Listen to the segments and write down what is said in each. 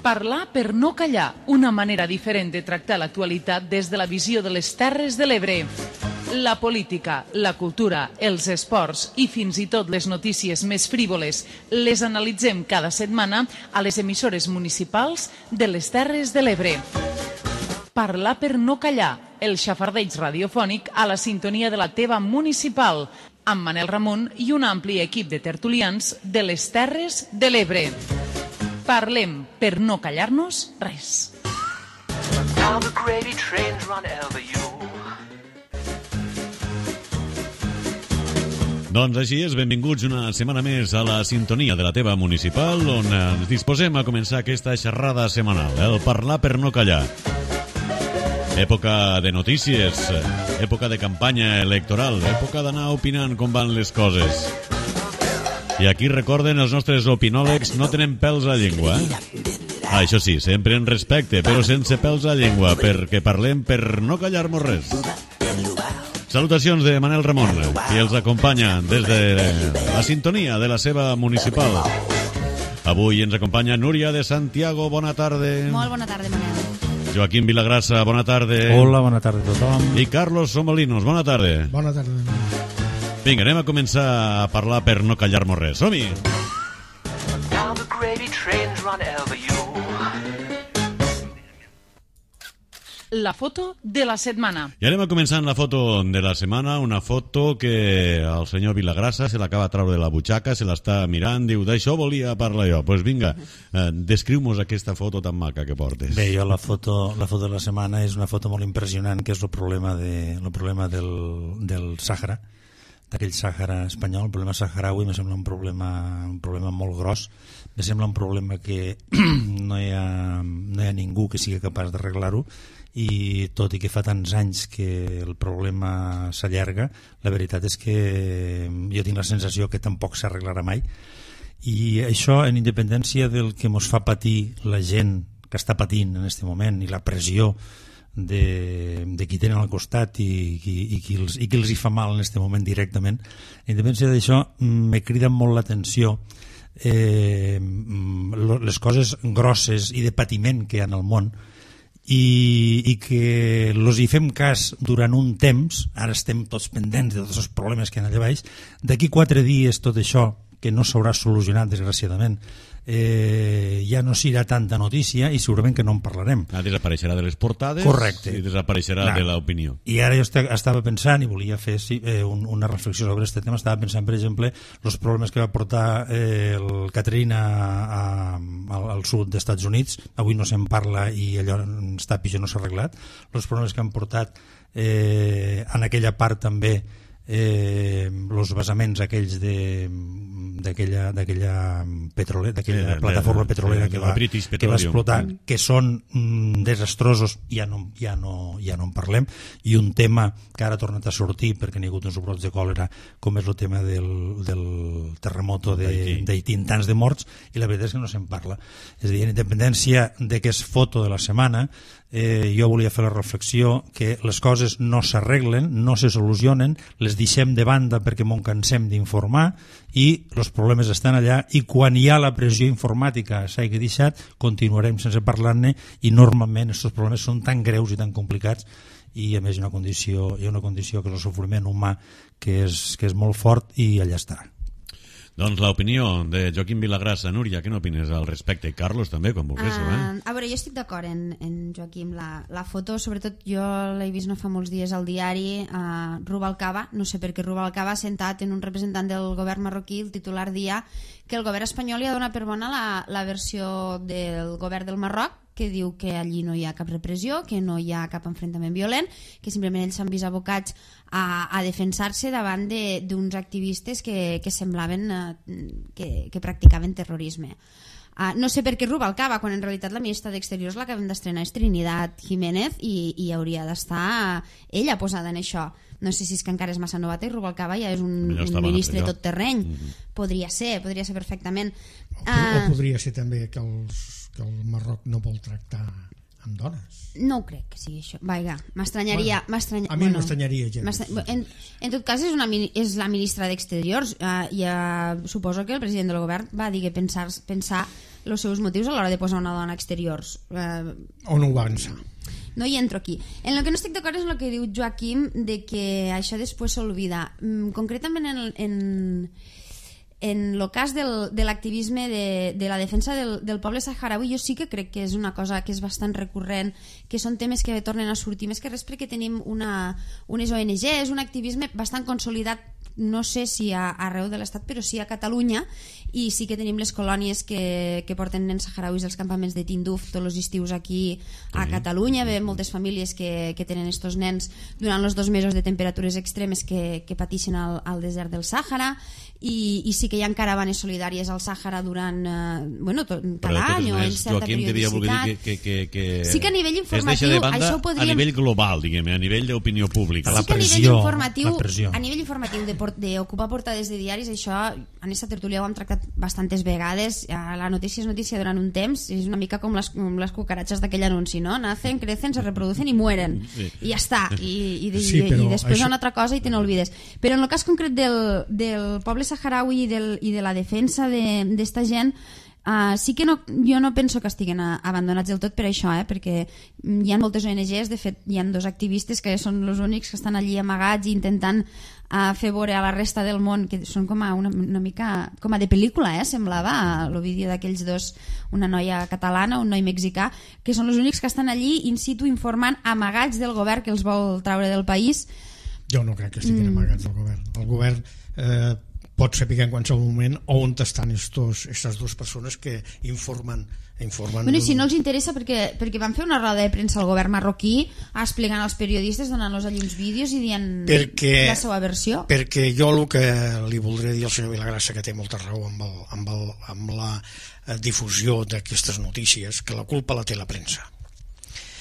Parlar per no callar, una manera diferent de tractar l'actualitat des de la visió de les Terres de l'Ebre. La política, la cultura, els esports i fins i tot les notícies més frívoles les analitzem cada setmana a les emissores municipals de les Terres de l'Ebre. Parlar per no callar, el xafardeig radiofònic a la sintonia de la teva municipal, amb Manel Ramon i un ampli equip de tertulians de les Terres de l'Ebre. Parlem per no callar-nos res. Doncs així és, benvinguts una setmana més a la sintonia de la teva municipal, on ens disposem a començar aquesta xerrada setmanal, el parlar per no callar. Època de notícies, època de campanya electoral, època d'anar opinant com van les coses. I aquí recorden els nostres opinòlegs no tenen pèls a la llengua. Això sí, sempre en respecte, però sense pèls a la llengua, perquè parlem per no callar-nos res. Salutacions de Manel Ramon, qui els acompanya des de la sintonia de la seva municipal. Avui ens acompanya Núria de Santiago, bona tarda. Molt bona tarda, Manel. Joaquim Vilagrassa, bona tarda. Hola, bona tarda a tothom. I Carlos Somolinos, bona tarda. Bona tarda, Manel. Vinga, anem a començar a parlar per no callar-nos res. Som-hi! La foto de la setmana. I anem a començar amb la foto de la setmana, una foto que el senyor Vilagrassa se l'acaba de treure de la butxaca, se l'està mirant, diu, d'això volia parlar jo. Doncs pues vinga, descriu-nos aquesta foto tan maca que portes. Bé, jo la foto de la setmana és una foto molt impressionant, que és el problema del Sàhara, d'aquell Sàhara espanyol. El problema saharaui me sembla un problema molt gros. Me sembla un problema que no hi ha ningú que sigui capaç d'arreglar-ho, i tot i que fa tants anys que el problema s'allarga, la veritat és que jo tinc la sensació que tampoc s'arreglarà mai. I això, en independència del que ens fa patir la gent que està patint en aquest moment i la pressió de qui tenen al costat i qui els hi fa mal en aquest moment directament, en independència d'això me crida molt l'atenció les coses grosses i de patiment que hi ha en el món, i que els hi fem cas durant un temps. Ara estem tots pendents de tots els problemes que hi ha allà baix. D'aquí 4 dies tot això, que no s'haurà solucionat desgraciadament, ja no serà tanta notícia i segurament que no en parlarem. Desapareixerà de les portades. Correcte. I desapareixerà de l'opinió. I ara jo estava pensant i volia fer una reflexió sobre aquest tema. Estava pensant, per exemple, els problemes que va portar el Katrina al sud dels Estats Units. Avui no se'n parla i allò està pitjor, no s'ha arreglat. Els problemes que han portat en aquella part també els vessaments aquells d'aquella plataforma petrolera que va explotar, que són desastrosos, ja no en parlem. I un tema que ara ha tornat a sortir perquè n'hi ha hagut uns brots de còlera, com és el tema del terremoto d'Haití, tants de morts, i la veritat és que no se'n parla. És a dir, en independència de que és foto de la setmana, jo volia fer la reflexió que les coses no s'arreglen, no se solucionen, les deixem de banda perquè m'ho cansem d'informar, i els problemes estan allà, i quan hi ha la pressió informàtica s'hagi deixat, continuarem sense parlar-ne, i normalment aquests problemes són tan greus i tan complicats, i a més hi ha una condició que és el sofriment humà que és molt fort, i allà està. Doncs l'opinió de Joaquim Vilagrassa. Núria, què n'opines al respecte? Carlos també, quan vulguis. A veure, jo estic d'acord en Joaquim. La foto, sobretot jo l'he vist no fa molts dies al diari, Rubalcaba, no sé per què Rubalcaba, sentat en un representant del govern marroquí, el titular dia que el govern espanyol li ha donat per bona la versió del govern del Marroc, que diu que allí no hi ha cap repressió, que no hi ha cap enfrontament violent, que simplement ells s'han vist abocats a defensar-se davant d'uns activistes que semblaven que practicaven terrorisme. No sé per què Rubalcaba, quan en realitat la ministra d'Exteriors l'acabem d'estrenar és Trinidad Jiménez, i hauria d'estar ella posada en això. No sé si és que encara és massa novata i Rubalcaba ja és un ministre tot terreny. Podria ser perfectament. O podria ser també que el Marroc no vol tractar amb dones. No ho crec que sigui això. Vaja, m'estranyaria... A mi m'estranyaria gens. En tot cas, és la ministra d'Exteriors. Suposo que el president del govern va dir que pensar els seus motius a l'hora de posar una dona a exteriors. O no ho va pensar? No hi entro aquí. En el que no estic d'acord és el que diu Joaquim, de que això després s'olvida. Concretament en el cas de l'activisme de la defensa del poble saharaui, jo sí que crec que és una cosa que és bastant recurrent, que són temes que tornen a sortir, més que res perquè tenim unes ONGs, un activisme bastant consolidat, no sé si arreu de l'estat, però sí a Catalunya, i sí que tenim les colònies que porten nens saharauis als campaments de Tinduf tots els estius aquí a Catalunya. Veiem moltes famílies que tenen estos nens durant els 2 mesos de temperatures extremes que pateixen al desert del Sàhara, i sí que hi ha caravanes solidàries al Sàhara durant cada any o en certa periodicitat. Sí que a nivell informatiu això ho podríem... A nivell global, diguem, a nivell d'opinió pública. Sí que a nivell informatiu d'ocupar portades de diaris, això en aquesta tertúlia ho hem tractat bastantes vegades. La notícia és notícia durant un temps, és una mica com les cucaratxes d'aquell anunci, no? Nacen, crecen, se reproducen i mueren, i ja està, i després hi ha una altra cosa i te n'olvides. Però en el cas concret del poble saharaui i de la defensa d'esta gent, sí que jo no penso que estiguen abandonats del tot per això, perquè hi ha moltes ONGs. De fet hi ha 2 activistes que són els únics que estan allí amagats i intentant fer veure a la resta del món, que són com una mica com a de pel·lícula, semblava el vídeo d'aquells 2, una noia catalana, un noi mexicà, que són els únics que estan allí in situ informant, amagats del govern que els vol treure del país. Jo no crec que estiguin amagats del govern. El govern pot saber en qualsevol moment on estan aquestes 2 persones que informen. Bueno, i si no els interessa, perquè van fer una roda de premsa al govern marroquí explicant als periodistes, donant-los allí uns vídeos i dient la seva versió. Perquè jo el que li voldré dir al senyor Vilagrassa, que té molta raó amb la difusió d'aquestes notícies, que la culpa la té la premsa.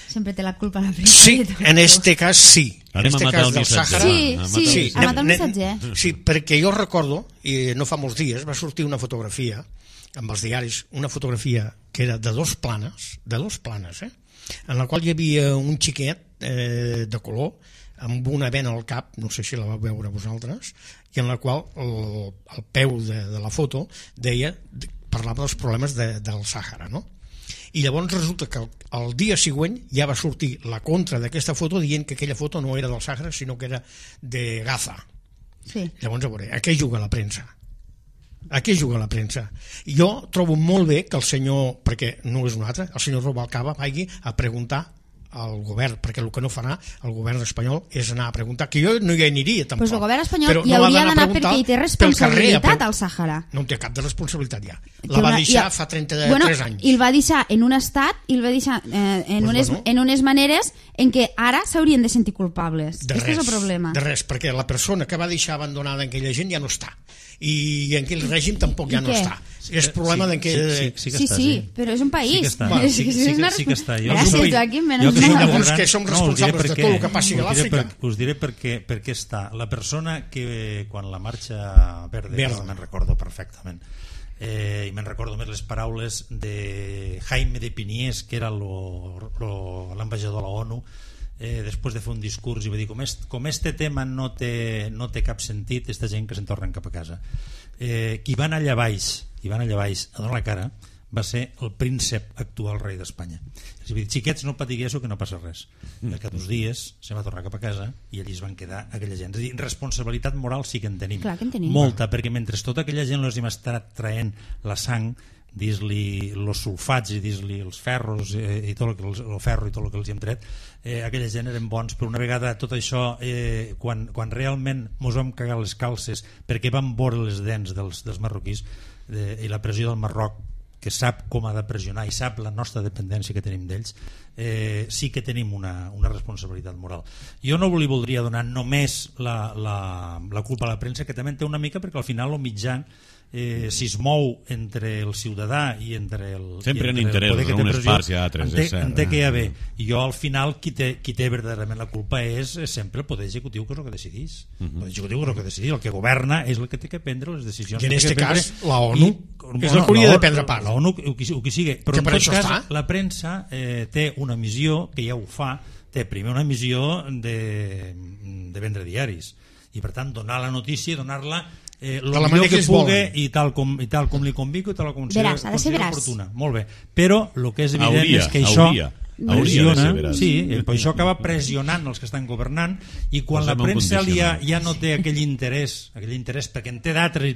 Sempre té la culpa la premsa. Sí, en este cas sí. Anem a matar el missatger. Sí, a matar el missatger. Sí, perquè jo recordo, i no fa molts dies, va sortir una fotografia amb els diaris, una fotografia que era de 2 planes, en la qual hi havia un xiquet de color amb una vena al cap, no sé si la vau veure vosaltres, i en la qual el peu de la foto parlava dels problemes del Sàhara, no? I llavors resulta que el dia següent ja va sortir la contra d'aquesta foto dient que aquella foto no era del Sàhara sinó que era de Gaza. Sí. Llavors, a veure, a què juga la premsa? Jo trobo molt bé que el senyor, perquè no és un altre, el senyor Rubalcaba vagi a preguntar al govern, perquè el que no farà el govern espanyol és anar a preguntar, que jo no hi aniria tampoc. Pues el govern espanyol hi hauria d'anar perquè hi té responsabilitat al Sàhara. No en té cap de responsabilitat ja. La va deixar fa 33 anys. I el va deixar en un estat, i el va deixar en unes maneres en què ara s'haurien de sentir culpables. Aquest és el problema. De res, perquè la persona que va deixar abandonada aquella gent ja no està. I en aquell règim tampoc ja no està. És problema d'en què... Sí, però és un país. Sí que està. Gràcies, Joaquim. Llavors que som responsables de tot el que passi a l'Àfrica. Us diré per què està. La persona que quan la marxa verda, me'n recordo perfectament, i me'n recordo més les paraules de Jaime de Piniés, que era l'ambaixador de la ONU, després de fer un discurs i va dir com este tema no té cap sentit, aquesta gent que se'n tornen cap a casa. Qui va anar allà baix a donar la cara va ser el príncep actual rei d'Espanya. És a dir, xiquets, no patiguéssiu que no passa res. I al cap d'uns dies se va tornar cap a casa i allí es van quedar aquella gent. És a dir, responsabilitat moral sí que en tenim. Clar que en tenim. Molta, perquè mentre tota aquella gent els hem estat traient la sang, dis-li els sulfats i dis-li els ferros i tot el ferro i tot el que els hem tret, aquella gent eren bons, però una vegada tot això, quan realment mos vam cagar les calces perquè vam veure les dents dels marroquís i la pressió del Marroc, que sap com ha de pressionar i sap la nostra dependència que tenim d'ells, sí que tenim una responsabilitat moral. Jo no li voldria donar només la culpa a la premsa, que també en té una mica, perquè al final el mitjà, si es mou entre el ciutadà i entre el... Sempre en interessos, unes parts i altres. En té que hi ha bé. I jo al final qui té verdaderament la culpa és sempre el poder executiu, que és el que decidís. El poder executiu és el que decidís. El que governa és el que té que prendre les decisions. I en aquest cas la ONU. És el que hauria de prendre part. La ONU, el que sigui. Però en tot cas, la premsa té una missió, que ja ho fa, té primer una missió de vendre diaris. I per tant, donar la notícia, donar-la el millor que pugui i tal com li convico i tal com considera oportuna. Molt bé. Però el que és evident és que això pressiona, això acaba pressionant els que estan governant, i quan la premsa ja no té aquell interès perquè en té d'altres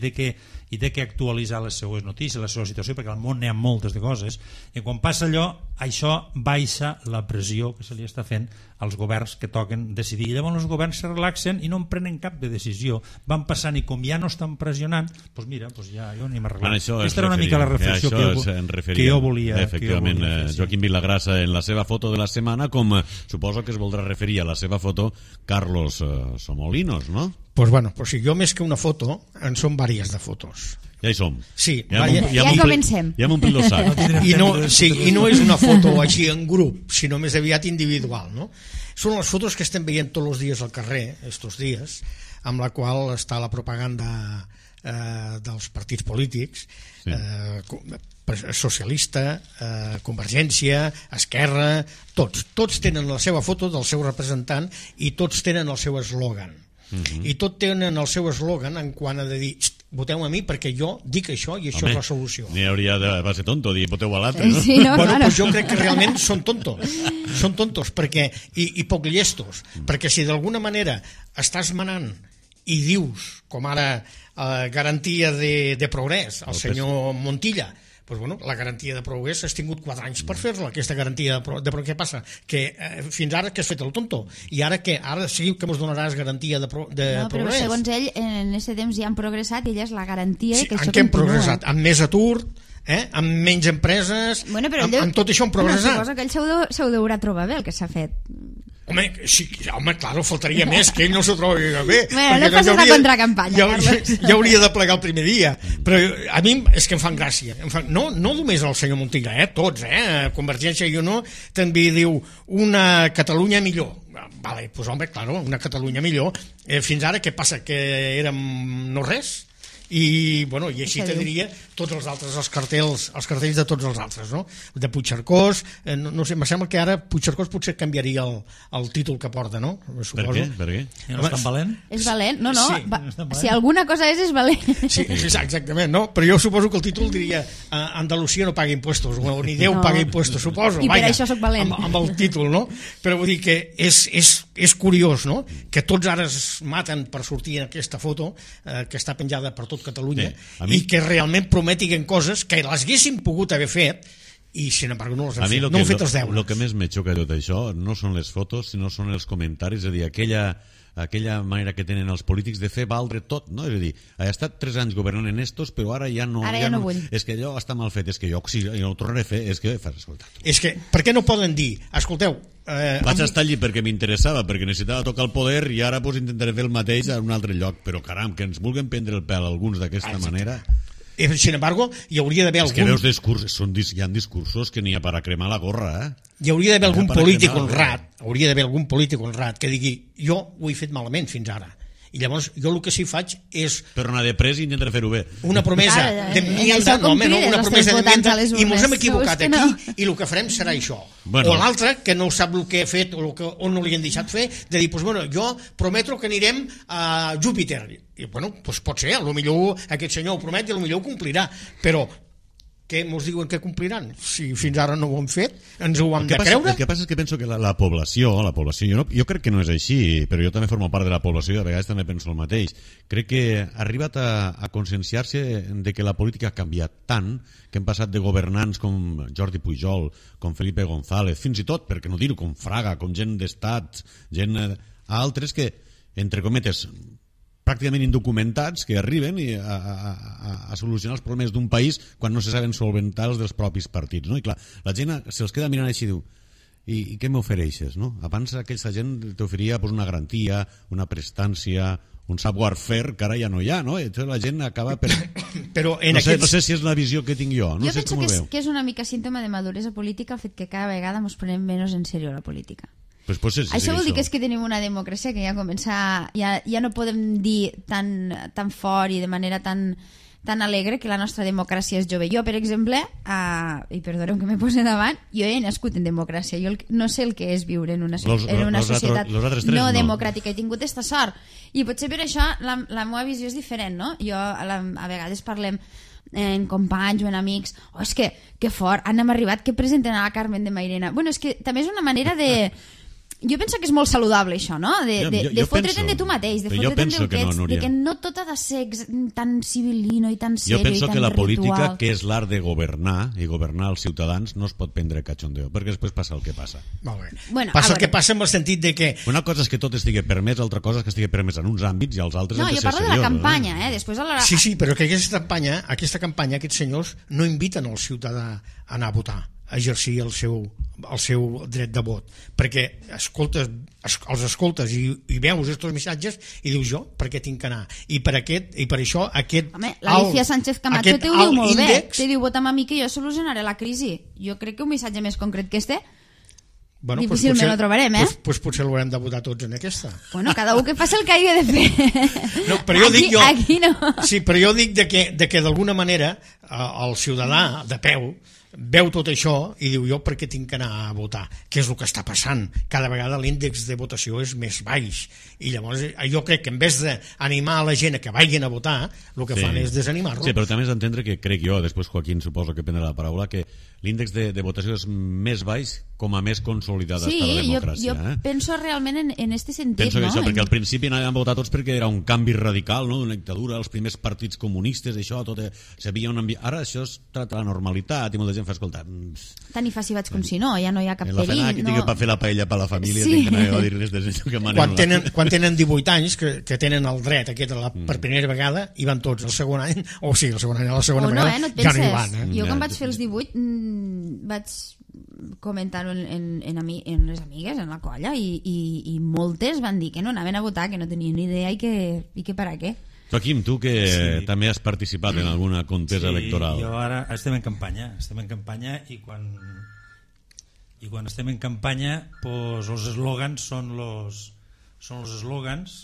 i té que actualitzar les seues notícies, la seva situació, perquè al món n'hi ha moltes de coses, i quan passa allò, això baixa la pressió que se li està fent als governs que toquen decidir, i llavors els governs se relaxen i no en prenen cap de decisió, van passant, i com ja no estan pressionant, doncs mira, ja jo anem arreglant. Aquesta era una mica la reflexió que jo volia. Efectivament, Joaquim Vilagrasa, en la seva foto de la setmana, com suposo que es voldrà referir a la seva foto Carlos Somolinos, no? Pues bueno, pues si jo més que una foto, en són vàries de fotos. Ja hi som. Sí, ja comencem. Ja hem omplit el sac. I no és una foto així en grup, sinó més aviat individual, no? Són les fotos que estem veient tots els dies al carrer, estos dies, amb la qual està la propaganda dels partits polítics, socialista, Convergència, Esquerra, tots tenen la seva foto del seu representant i tots tenen el seu eslògan. I tots tenen el seu eslògan en quant a de dir voteu a mi perquè jo dic això i això és la solució. N'hi hauria de ser tonto dir voteu a l'altre, no? Sí, no, bueno, pues jo crec que realment són tontos perquè, i poc llestos, perquè si d'alguna manera estàs manant i dius, com ara garantia de progrés al senyor Montilla, pues bueno, la garantia de progrés has tingut 4 anys per fer-la, aquesta garantia de progrés. Què passa? Que fins ara que has fet el tonto, i ara que ara sí que ens donaràs garantia de progrés. No, però segons ell, en aquest temps ja han progressat i ella és la garantia que això continua. En què hem progressat? Amb més atur, amb menys empreses, amb tot això hem progressat. Suposo que ell s'ho deurà trobar bé el que s'ha fet. Home, sí, claro, faltaria més que ell no s'ho trobi bé. Bueno, no passes la contracampanya, Carles. Ja hauria de plegar el primer dia. Però a mi és que em fan gràcia. No només el senyor Montilla, tots, Convergència i Unió també diu una Catalunya millor. Vale, doncs home, claro, una Catalunya millor. Fins ara què passa? Que érem no res? I així te diria tots els altres, els cartells de tots els altres, no? De Puigcercós, no sé, em sembla que ara Puigcercós potser canviaria el títol que porta, no? Per què? No és tan valent? És valent? No, si alguna cosa és valent. Sí, exactament, no? Però jo suposo que el títol diria Andalusia no paga impuestos, o ni Déu paga impuestos, suposo. I per això soc valent. Amb el títol, no? Però vull dir que és curiós, no? Que tots ara es maten per sortir en aquesta foto que està penjada per tot Catalunya, i que realment prometiguen coses que les haguessin pogut haver fet i sin embargo no les han fet, no han fet els deures. El que més me xoca de tot això no són les fotos, sinó són els comentaris, és a dir, aquella manera que tenen els polítics de fer valdre tot, no? És a dir, ha estat 3 anys governant en estos, però ara ja no vull. És que allò està mal fet, és que jo ho tornaré a fer, és que fas escoltar. És que, per què no poden dir, escolteu, vaig estar allí perquè m'interessava, perquè necessitava tocar el poder, i ara intentaré fer el mateix a un altre lloc, però caram, que ens vulguin prendre el pèl alguns d'aquesta manera. Sin embargo, hi hauria d'haver algun... És que veus discursos, hi ha discursos que n'hi ha per a cremar la gorra, Hi hauria d'haver algun polític honrat, que digui, jo ho he fet malament fins ara. I llavors jo el que sí faig és... Però anar de pres i intentar fer-ho bé. Una promesa d'enmienda, i ens hem equivocat aquí, i el que farem serà això. O l'altre, que no sap el que ha fet o no li han deixat fer, de dir, jo prometo que anirem a Júpiter. I doncs pot ser, potser aquest senyor ho promet i potser ho complirà, però què ens diuen que compliran? Si fins ara no ho han fet, ens ho hem de creure? El que passa és que penso que la població, jo crec que no és així, però jo també formo part de la població i a vegades també penso el mateix. Crec que ha arribat a conscienciar-se de que la política ha canviat tant que hem passat de governants com Jordi Pujol, com Felipe González, fins i tot, per què no dir-ho, com Fraga, com gent d'estat, gent a altres que, entre cometes, pràcticament indocumentats, que arriben a solucionar els problemes d'un país quan no se saben solventar els dels propis partits, no? I clar, la gent se'ls queda mirant així i diu, i què m'ofereixes, no? Abans aquesta gent t'oferia una garantia, una prestància, un savoir-faire que ara ja no hi ha, no? Entonces la gent acaba per... Però no sé si és la visió que tinc jo, no sé com ho veu. Que és una mica símptoma de maduresa política el fet que cada vegada ens prenem menys en sèrio la política. Pues això vol dir que és que tenim una democràcia que ja no podem dir tan fort i de manera tan tan alegre que la nostra democràcia és jove. Jo, per exemple, i perdoneu que me posi davant, jo he nascut en democràcia, jo no sé el que és viure en una societat no democràtica, he tingut aquesta sort, i potser per això la meva visió és diferent, no? Jo a vegades parlem en companys o en amics, és que fort, hem arribat que presenten a la Carmen de Mairena. Bueno, és que també és una manera de... Jo penso que és molt saludable això, no? De fotre'te'n de tu mateix, de fotre'te'n del que ets, de que no tot ha de ser tan civilino i tan serio i tan ritual. Jo penso que la política, que és l'art de governar i governar els ciutadans, no es pot prendre cachondeo, perquè després passa el que passa. Molt bé. Bueno, passa el que passa en el sentit de que... Una cosa és que tot estigui permès, altra cosa és que estigui permès en uns àmbits i als altres... No, jo parlo de la campanya, després... Sí, però que aquesta campanya, aquests senyors no inviten el ciutadà a anar a votar, a exercir el seu dret de vot, perquè els escoltes i veus aquests missatges i dius jo, per què tinc que anar? I per això aquest... Home, l'Alicia Sánchez Camacho te ho diu molt bé, te diu vota'm a mi que jo solucionaré la crisi. Jo crec que un missatge més concret que este difícilment lo trobarem, Doncs potser l'haurem de votar tots en aquesta. Bueno, cada un que faci el que hagi de fer. No, però jo dic aquí no. Sí, però jo dic de que d'alguna manera el ciutadà de peu veu tot això i diu jo per què tinc que anar a votar, què és el que està passant. Cada vegada l'índex de votació és més baix i llavors jo crec que en vez d'animar a la gent a que vagin a votar, el que fan és desanimar-los. Sí, però també has d'entendre que crec jo, després Joaquín suposo que prendrà la paraula, que l'índex de votació és més baix com a més consolidada està la democràcia. Jo penso realment en este sentit. Penso que això, perquè al principi anàvem a votar tots perquè era un canvi radical, no? Una dictadura, els primers partits comunistes, això, tot s'havia un ambient... Ara això es tracta la normalitat i molta gent fa escoltar... Tant i fàcil vaig com si no, ja no hi ha cap perill. La fena que per fer la paella per la família, tinc que anar a dir-les que manen... Quan tenen 18 anys, que tenen el dret aquest per primera vegada, hi van tots. El segon any, o sigui, el segon any a la segona vegada, ja no hi van. Jo quan vaig fer els 18 vaig comentar-ho en les amigues, en la colla, i moltes van dir que no anaven a votar, que no tenien ni idea i que per a què. Joaquim, tu que també has participat en alguna contesa electoral. Sí, jo ara estem en campanya i quan estem en campanya pues, els eslògans són els eslògans.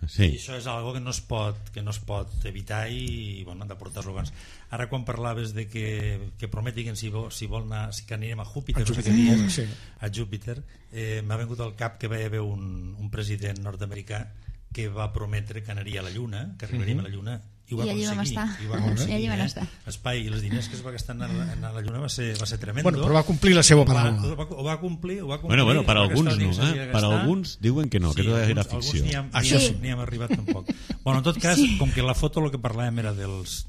Sí. I això és algo que no es pot evitar i bueno, han de portar eslògans. Ara quan parlaves de que prometin si vol anar, si que anirem a Júpiter, a Júpiter, m'ha vingut al cap que va haver un president nord-americà que va prometre que anaria a la Lluna, que arribaríem a la Lluna, i ho va aconseguir. I allí van estar. Espai i els diners que es va gastar en la Lluna va ser tremendo. Bueno, però va complir la seva paraula. Ho va complir. Bueno, per alguns no, per alguns diuen que no, que tot era ficció. Ni hem arribat tampoc. Bueno, en tot cas, com que la foto el que parlàvem era dels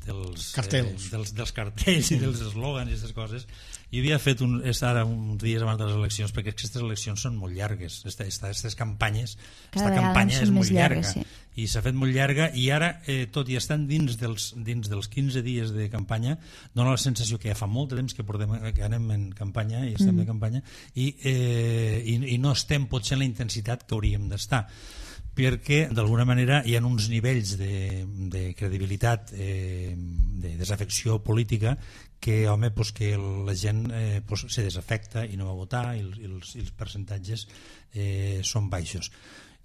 cartells, dels cartells i dels eslògans i aquestes coses, jo havia fet ara uns dies abans de les eleccions, perquè aquestes eleccions són molt llargues, aquestes campanyes, aquesta campanya és molt llarga, i s'ha fet molt llarga, i ara, tot i estant dins dels 15 dies de campanya, dona la sensació que ja fa molt de temps que anem en campanya i estem en campanya, i no estem potser en la intensitat que hauríem d'estar, perquè d'alguna manera hi ha uns nivells de credibilitat, de desafecció política, que home, pues, que la gent se desafecta i no va votar i els percentatges són baixos.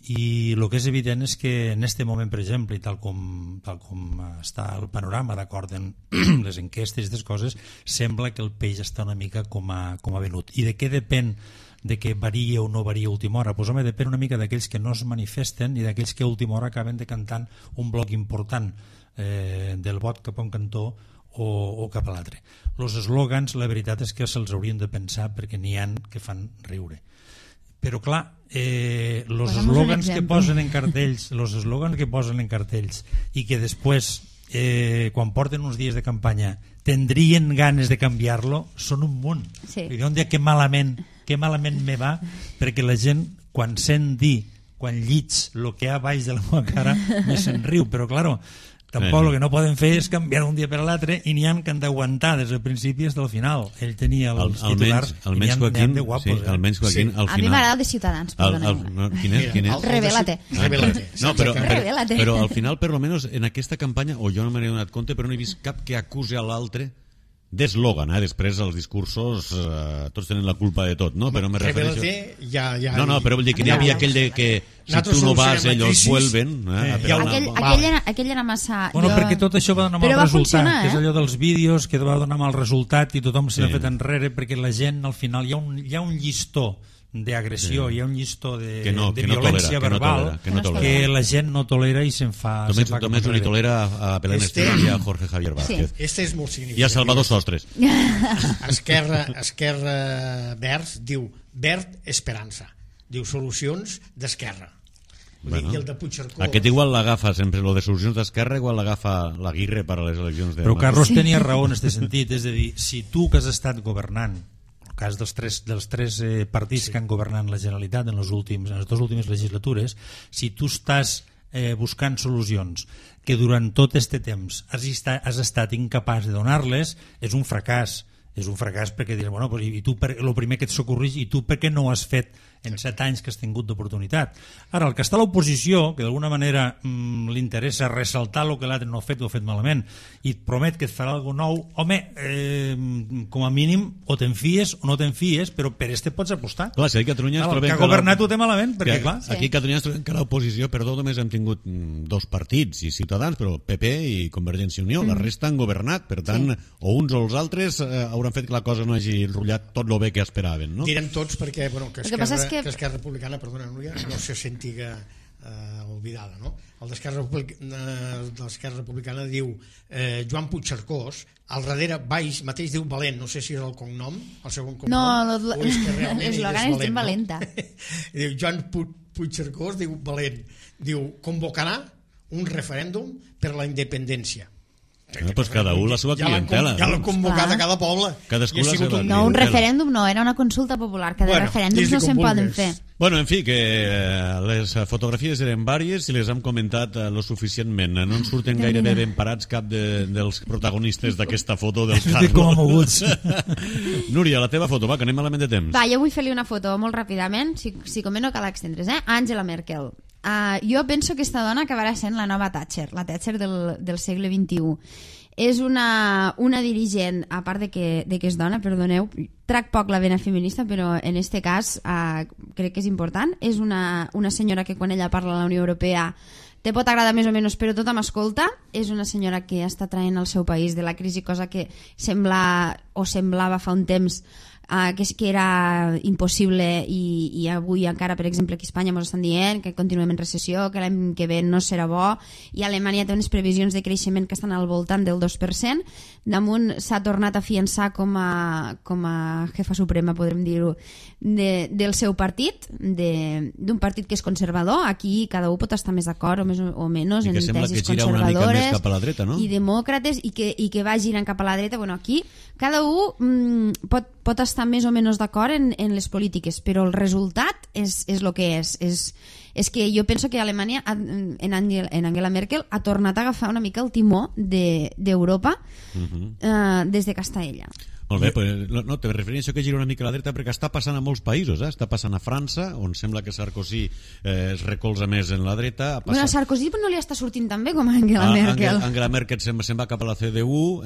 I el que és evident és que en aquest moment, per exemple, i tal com està el panorama d'acord amb les enquestes i aquestes coses, sembla que el peix està una mica com ha venut. I de què depèn de que varia o no varia a última hora? Pues, home, depèn una mica d'aquells que no es manifesten i d'aquells que a última hora acaben decantant un bloc important del vot cap a un cantó o cap a l'altre. Els eslògans, la veritat és que se'ls haurien de pensar perquè n'hi ha que fan riure. Però clar, els eslògans que posen en cartells i que després, quan porten uns dies de campanya, tendrien ganes de canviar-lo, són un munt. Sí. I un dia que malament me va, perquè la gent, quan sent dir, quan llits el que hi ha baix de la meva cara, me se'n riu, però claro, tampoc el que no poden fer és canviar un dia per l'altre i n'hi ha que han d'aguantar des del principi fins al final. Ell tenia els titulars i n'hi ha de guapos. Almenys Joaquín, al final... A mi m'agrada el de Ciutadans, perdoneu. Quin és? Revélate. No, però al final, per lo menos, en aquesta campanya, o jo no me n'he donat compte, però no he vist cap que acuse a l'altre d'eslògan, després els discursos tots tenen la culpa de tot, no? Però me refereixo... No, però vull dir que n'hi havia aquell de que si tu no vas ells vuelven. Aquell era massa... Bueno, perquè tot això va donar mal resultat, que és allò dels vídeos que va donar mal resultat i tothom s'ha fet enrere perquè la gent al final hi ha un llistó d'agressió, hi ha un llistó de violència verbal que la gent no tolera i se'n fa... Només li tolera a Belén Esteban i a Jorge Javier Vázquez. Este és molt significatiu. I a Salvador Sostres. Esquerra Verds diu Verd Esperança. Diu solucions d'Esquerra. I el de Puigcercós... Aquest igual l'agafa sempre, lo de solucions d'Esquerra igual l'agafa l'Aguirre per a les eleccions de... Però Carlos tenia raó en aquest sentit, és a dir, si tu que has estat governant, el cas dels tres partits que han governat la Generalitat en les dues últimes legislatures, si tu estàs buscant solucions que durant tot aquest temps has estat incapaç de donar-les, és un fracàs. És un fracàs perquè diràs, bueno, i tu, el primer que et socorreix, i tu per què no ho has fet en 7 anys que has tingut d'oportunitat? Ara, el que està a l'oposició, que d'alguna manera li interessa ressaltar el que l'altre no ha fet o ha fet malament, i et promet que et farà alguna nou, home, com a mínim, o te'n fies o no te'n fies, però per este pots apostar. Clar, si aquí a Catalunya el que ha governat ho té malament, perquè clar... Aquí a Catalunya que l'oposició, perdó, només hem tingut 2 partits i Ciutadans, però PP i Convergència i Unió, la resta han governat, per tant, o uns o els altres hauran fet que la cosa no hagi enrotllat tot el bé que esperaven, no? Direm tots perquè, bueno, que Esquerra Republicana, perdona, Núria, no se sentiga oblidada, no? El d'Esquerra Republicana diu Joan Puigcercós, al darrere baix mateix diu Valent, no sé si és el cognom, el segon cognom, o és que realment és ben valenta. Diu Joan Puigcercós, diu Valent, diu convocarà un referèndum per la independència. Pues cada un la seva clientela. Ja l'ha convocat a cada poble. No, un referèndum no, era una consulta popular, que de referèndums no se'n poden fer. Bueno, en fi, que les fotografies eren vàries i les hem comentat lo suficientment. No en surten gairebé ben parats cap dels protagonistes d'aquesta foto del Carlos. Estic com a moguts. Núria, la teva foto, va, que anem malament de temps. Va, jo vull fer-li una foto molt ràpidament, si com no cal extendre's, Angela Merkel. Jo penso que aquesta dona acabarà sent la nova Thatcher, la Thatcher del segle XXI. És una dirigent, a part de que és dona, perdoneu, trac poc la vena feminista, però en este cas crec que és important. És una senyora que quan ella parla a la Unió Europea te pot agradar més o menys, però tothom escolta. És una senyora que està traient el seu país de la crisi, cosa que semblava fa un temps que era impossible i avui encara, per exemple, aquí a Espanya ens estan dient que continuem en recessió, que l'any que ve no serà bo, i Alemanya té unes previsions de creixement que estan al voltant del 2%. Damunt s'ha tornat a fiançar com a jefa suprema, podrem dir-ho, del seu partit, d'un partit que és conservador. Aquí cada un pot estar més d'acord o menys en tesis conservadores i demòcrates, i que va girant cap a la dreta. Bueno, aquí cada un pot estar més o menys d'acord en les polítiques, però el resultat és el que és. És que jo penso que Alemanya, en Angela Merkel, ha tornat a agafar una mica el timó d'Europa des de que està ella. Molt bé, no, te refereixo que gira una mica a la dreta perquè està passant a molts països, està passant a França, on sembla que Sarkozy es recolza més en la dreta. Bueno, Sarkozy no li està sortint tan bé com a Angela Merkel. Angela Merkel se'n va cap a la CDU,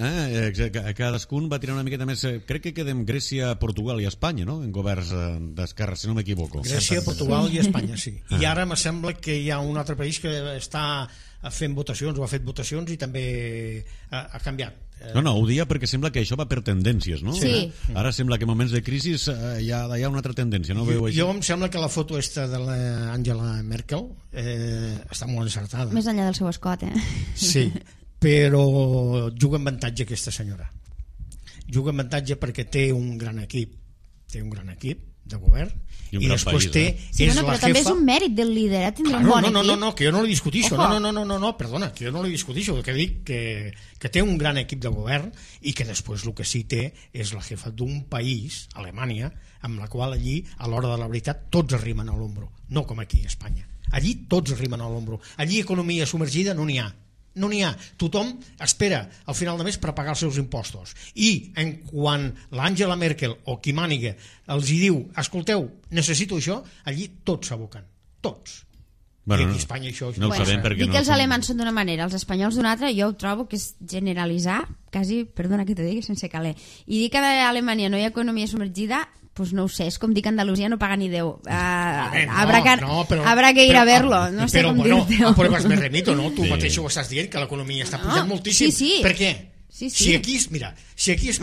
cadascun va tirar una miqueta més. Crec que quedem Grècia, Portugal i Espanya, no?, en governs d'esquerra, si no m'equivoco. Grècia, Portugal i Espanya, sí. I ara me sembla que hi ha un altre país que està fent votacions, o ha fet votacions, i també ha canviat. No, ho dia perquè sembla que això va per tendències, no? Sí. Ara sembla que en moments de crisi hi ha una altra tendència, no? Jo em sembla que la foto esta de l'Angela Merkel està molt encertada. Més enllà del seu escot, Sí, però juga en avantatge aquesta senyora. Juga en avantatge perquè té un gran equip de govern, i després té però també és un mèrit del líder, tindre un bon equip. No, que jo no li discutixo. No, perdona, que jo no li discutixo, que dic que té un gran equip de govern i que després el que sí té és la jefa d'un país, Alemanya, amb la qual allí, a l'hora de la veritat, tots arrimen a l'ombro, no com aquí a Espanya. Allí tots arrimen a l'ombro. Allí economia submergida no n'hi ha. No n'hi ha. Tothom espera al final de mes per pagar els seus impostos. I quan l'Angela Merkel o qui màniga els hi diu, escolteu, necessito això, allí tots s'aboquen. Tots. I aquí a Espanya això... No ho sabem perquè dic que els alemans són d'una manera, els espanyols d'una altra, jo ho trobo que és generalitzar, quasi, perdona que t'ho digui, sense caler. I dir que a Alemanya no hi ha economia submergida, pues no ho sé, és com dir que Andalusia no paga ni 10. Habrá que ir a verlo, no sé com dir-te-ho. Però vas més remito, no? Tu mateix ho estàs dient, que l'economia està pujant moltíssim. Sí. Per què? Sí. Si aquí Espanya...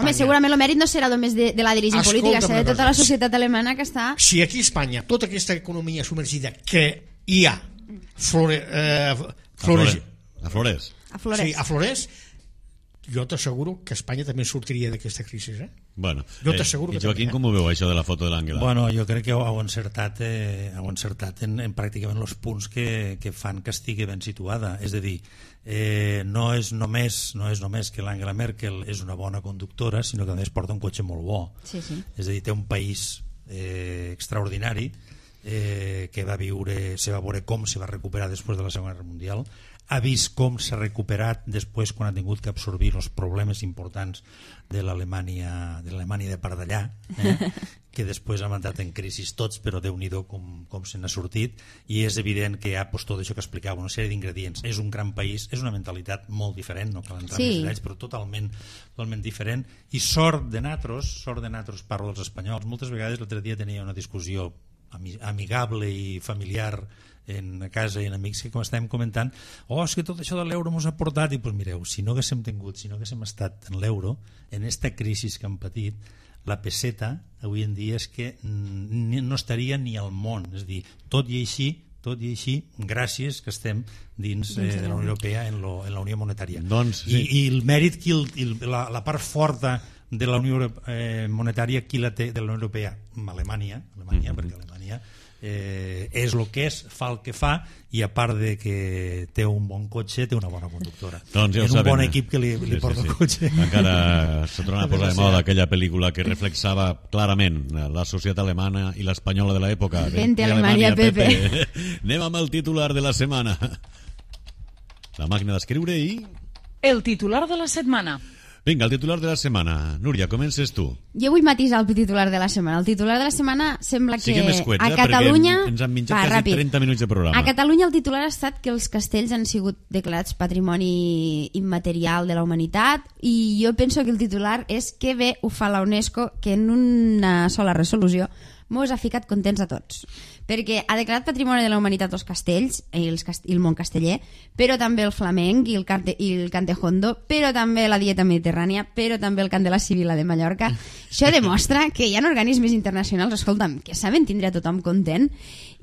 Home, segurament el mèrit no serà només de la dirigent política, serà de tota la societat alemana que està... Si aquí a Espanya tota aquesta economia submergida que hi ha aflorés, jo t'asseguro que Espanya també sortiria d'aquesta crisi, Bueno, jo t'asseguro que Joaquim, com ho veu això de la foto de l'Àngela? Bueno, jo crec que heu encertat en pràcticament els punts que fan que estigui ben situada. És a dir, no és només que l'Angela Merkel és una bona conductora, sinó que a més porta un cotxe molt bo. Sí. És a dir, té un país extraordinari, que se va veure com se va recuperar després de la Segona Guerra Mundial, ha vist com s'ha recuperat després quan ha tingut que absorbir els problemes importants de l'Alemanya de part d'allà, que després han entrat en crisi tots, però Déu-n'hi-do com se n'ha sortit, i és evident que hi ha tot això que explicava, una sèrie d'ingredients. És un gran país, és una mentalitat molt diferent, no cal entrar més detalls, però totalment diferent, i sort de natros, parlo dels espanyols. Moltes vegades l'altre dia tenia una discussió amigable i familiar a casa i en amics que estàvem comentant, és que tot això de l'euro ens ha portat, i doncs mireu, si no haguéssim estat en l'euro, en esta crisi que hem patit, la peseta avui en dia és que no estaria ni al món. És a dir, tot i així, gràcies que estem dins de la Unió Europea en la Unió Monetària. I el mèrit, la part forta de la Unió Monetària, qui la té de la Unió Europea? Alemanya, perquè Alemanya és el que és, fa el que fa, i a part de que té un bon cotxe, té una bona conductora. Doncs ja un bon equip que li porta el cotxe. Encara s'ha tornat a posar de moda aquella pel·lícula que reflexava clarament la societat alemana i l'espanyola de l'època. Vente Alemanya, Pepe. Anem amb el titular de la setmana. La màquina d'escriure i... El titular de la setmana. Vinga, el titular de la setmana. Núria, comences tu. Jo vull matisar el titular de la setmana. El titular de la setmana sembla que escuets, a Catalunya... ens han menjat quasi 30 minuts de programa. A Catalunya el titular ha estat que els castells han sigut declarats patrimoni immaterial de la humanitat, i jo penso que el titular és que bé ho fa la UNESCO, que en una sola resolució mos ha ficat contents a tots, perquè ha declarat patrimoni de la humanitat els castells i el món casteller, però també el flamenc i el cantejondo, però també la dieta mediterrània, però també el cant de la Sibila de Mallorca. Això demostra que hi ha organismes internacionals, escolta'm, que saben tindre a tothom content,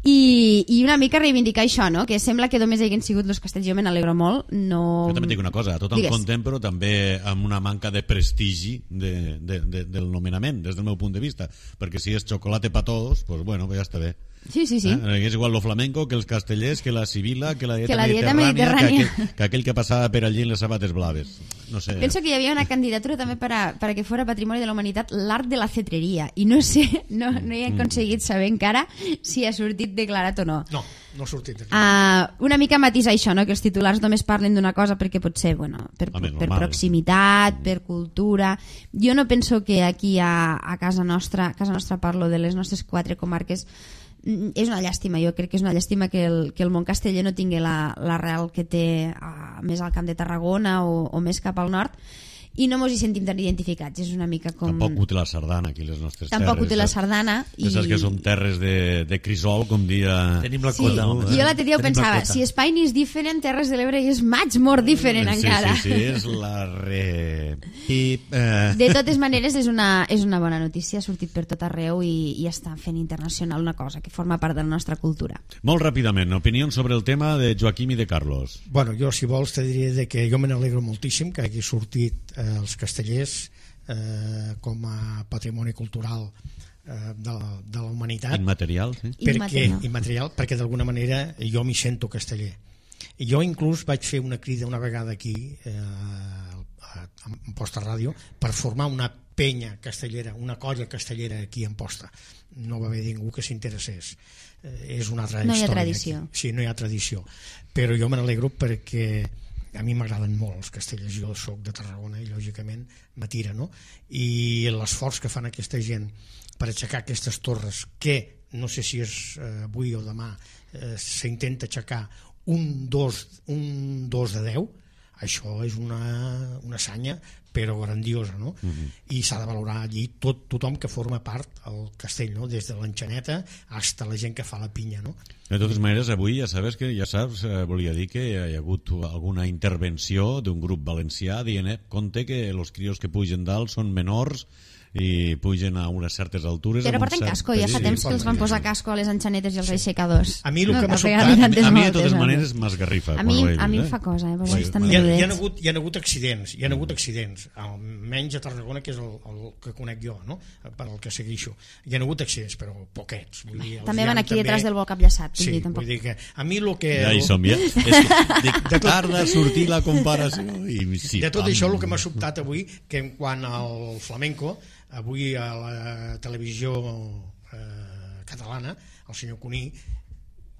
i una mica reivindicar això, no? Que sembla que només hagin sigut els castells. Jo me n'alegro molt. Jo també dic una cosa, tothom content, però també amb una manca de prestigi del nomenament, des del meu punt de vista, perquè si és xocolate pa todos, pues bueno, ja està bé. Sí. És igual lo flamenco que els castellers, que la Sibila, que la dieta mediterrània, que aquell que passava per allí en les sabates blaves. No sé. Penso que hi havia una candidatura també para que fuera patrimoni de la humanitat l'art de la cetreria, i no sé, no he aconseguit saber encara si ha sortit declarat o no. No ha sortit declarat. Una mica matisar això, no? Que els titulars només parlen d'una cosa perquè potser, per proximitat, per cultura. Jo no penso que aquí a casa nostra parlo de les nostres 4 comarques, és una llàstima. Jo crec que és una llàstima que el món casteller no tingui l'arrel que té més al Camp de Tarragona o més cap al nord, i no mos hi sentim tan identificats. És una mica com... Tampoc ho té la sardana aquí, les nostres terres. Tampoc ho té la sardana. Saps que som terres de crisol, com dia... Tenim la cota. Jo l'altre dia ho pensava, si Espanya és diferent, Terres de l'Ebre és much more different encara. Sí, és la De totes maneres, és una bona notícia, ha sortit per tot arreu i està fent internacional una cosa que forma part de la nostra cultura. Molt ràpidament, opinions sobre el tema de Joaquim i de Carlos. Bueno, jo, si vols, te diré que jo me n'alegro moltíssim que hagi sortit els castellers com a patrimoni cultural de la humanitat. Immaterial, sí. Immaterial, perquè d'alguna manera jo m'hi sento casteller. Jo inclús vaig fer una crida una vegada aquí a Amposta Ràdio per formar una penya castellera, una colla castellera aquí a Amposta. No va haver ningú que s'interessés. És una altra història. No hi ha tradició. Sí, no hi ha tradició. Però jo me n'alegro perquè a mi m'agraden molt els castellers. Jo soc de Tarragona i lògicament m'atira, no? I l'esforç que fan aquesta gent per aixecar aquestes torres que no sé si és avui o demà, s'intenta aixecar un 2 de 10, això és una hassanya però grandiosa, no? I s'ha de valorar allí tothom que forma part al castell, no? Des de l'enxaneta fins a la gent que fa la pinya, no? De totes maneres, avui ja saps, volia dir que hi ha hagut alguna intervenció d'un grup valencià dient, compte que els crios que pugen dalt són menors i pugen a unes certes altures. Però porten casco, ja fa temps que els van posar casco a les enxanetes i als aixecadors. A mi el que m'ha sobtat... A mi de totes maneres m'esgarrifa. A mi em fa cosa, hi ha hagut accidents, almenys a Tarragona, que és el que conec jo, no? Per al que segueixo. Hi ha hagut accidents, però poquets. També van aquí detrás del vol capllaçat. Sí, vull dir que a mi el que... Ja hi som, ja. Tarda a sortir la comparació. De tot això, el que m'ha sobtat avui, que en quant al flamenco, avui a la televisió catalana, el senyor Cuní,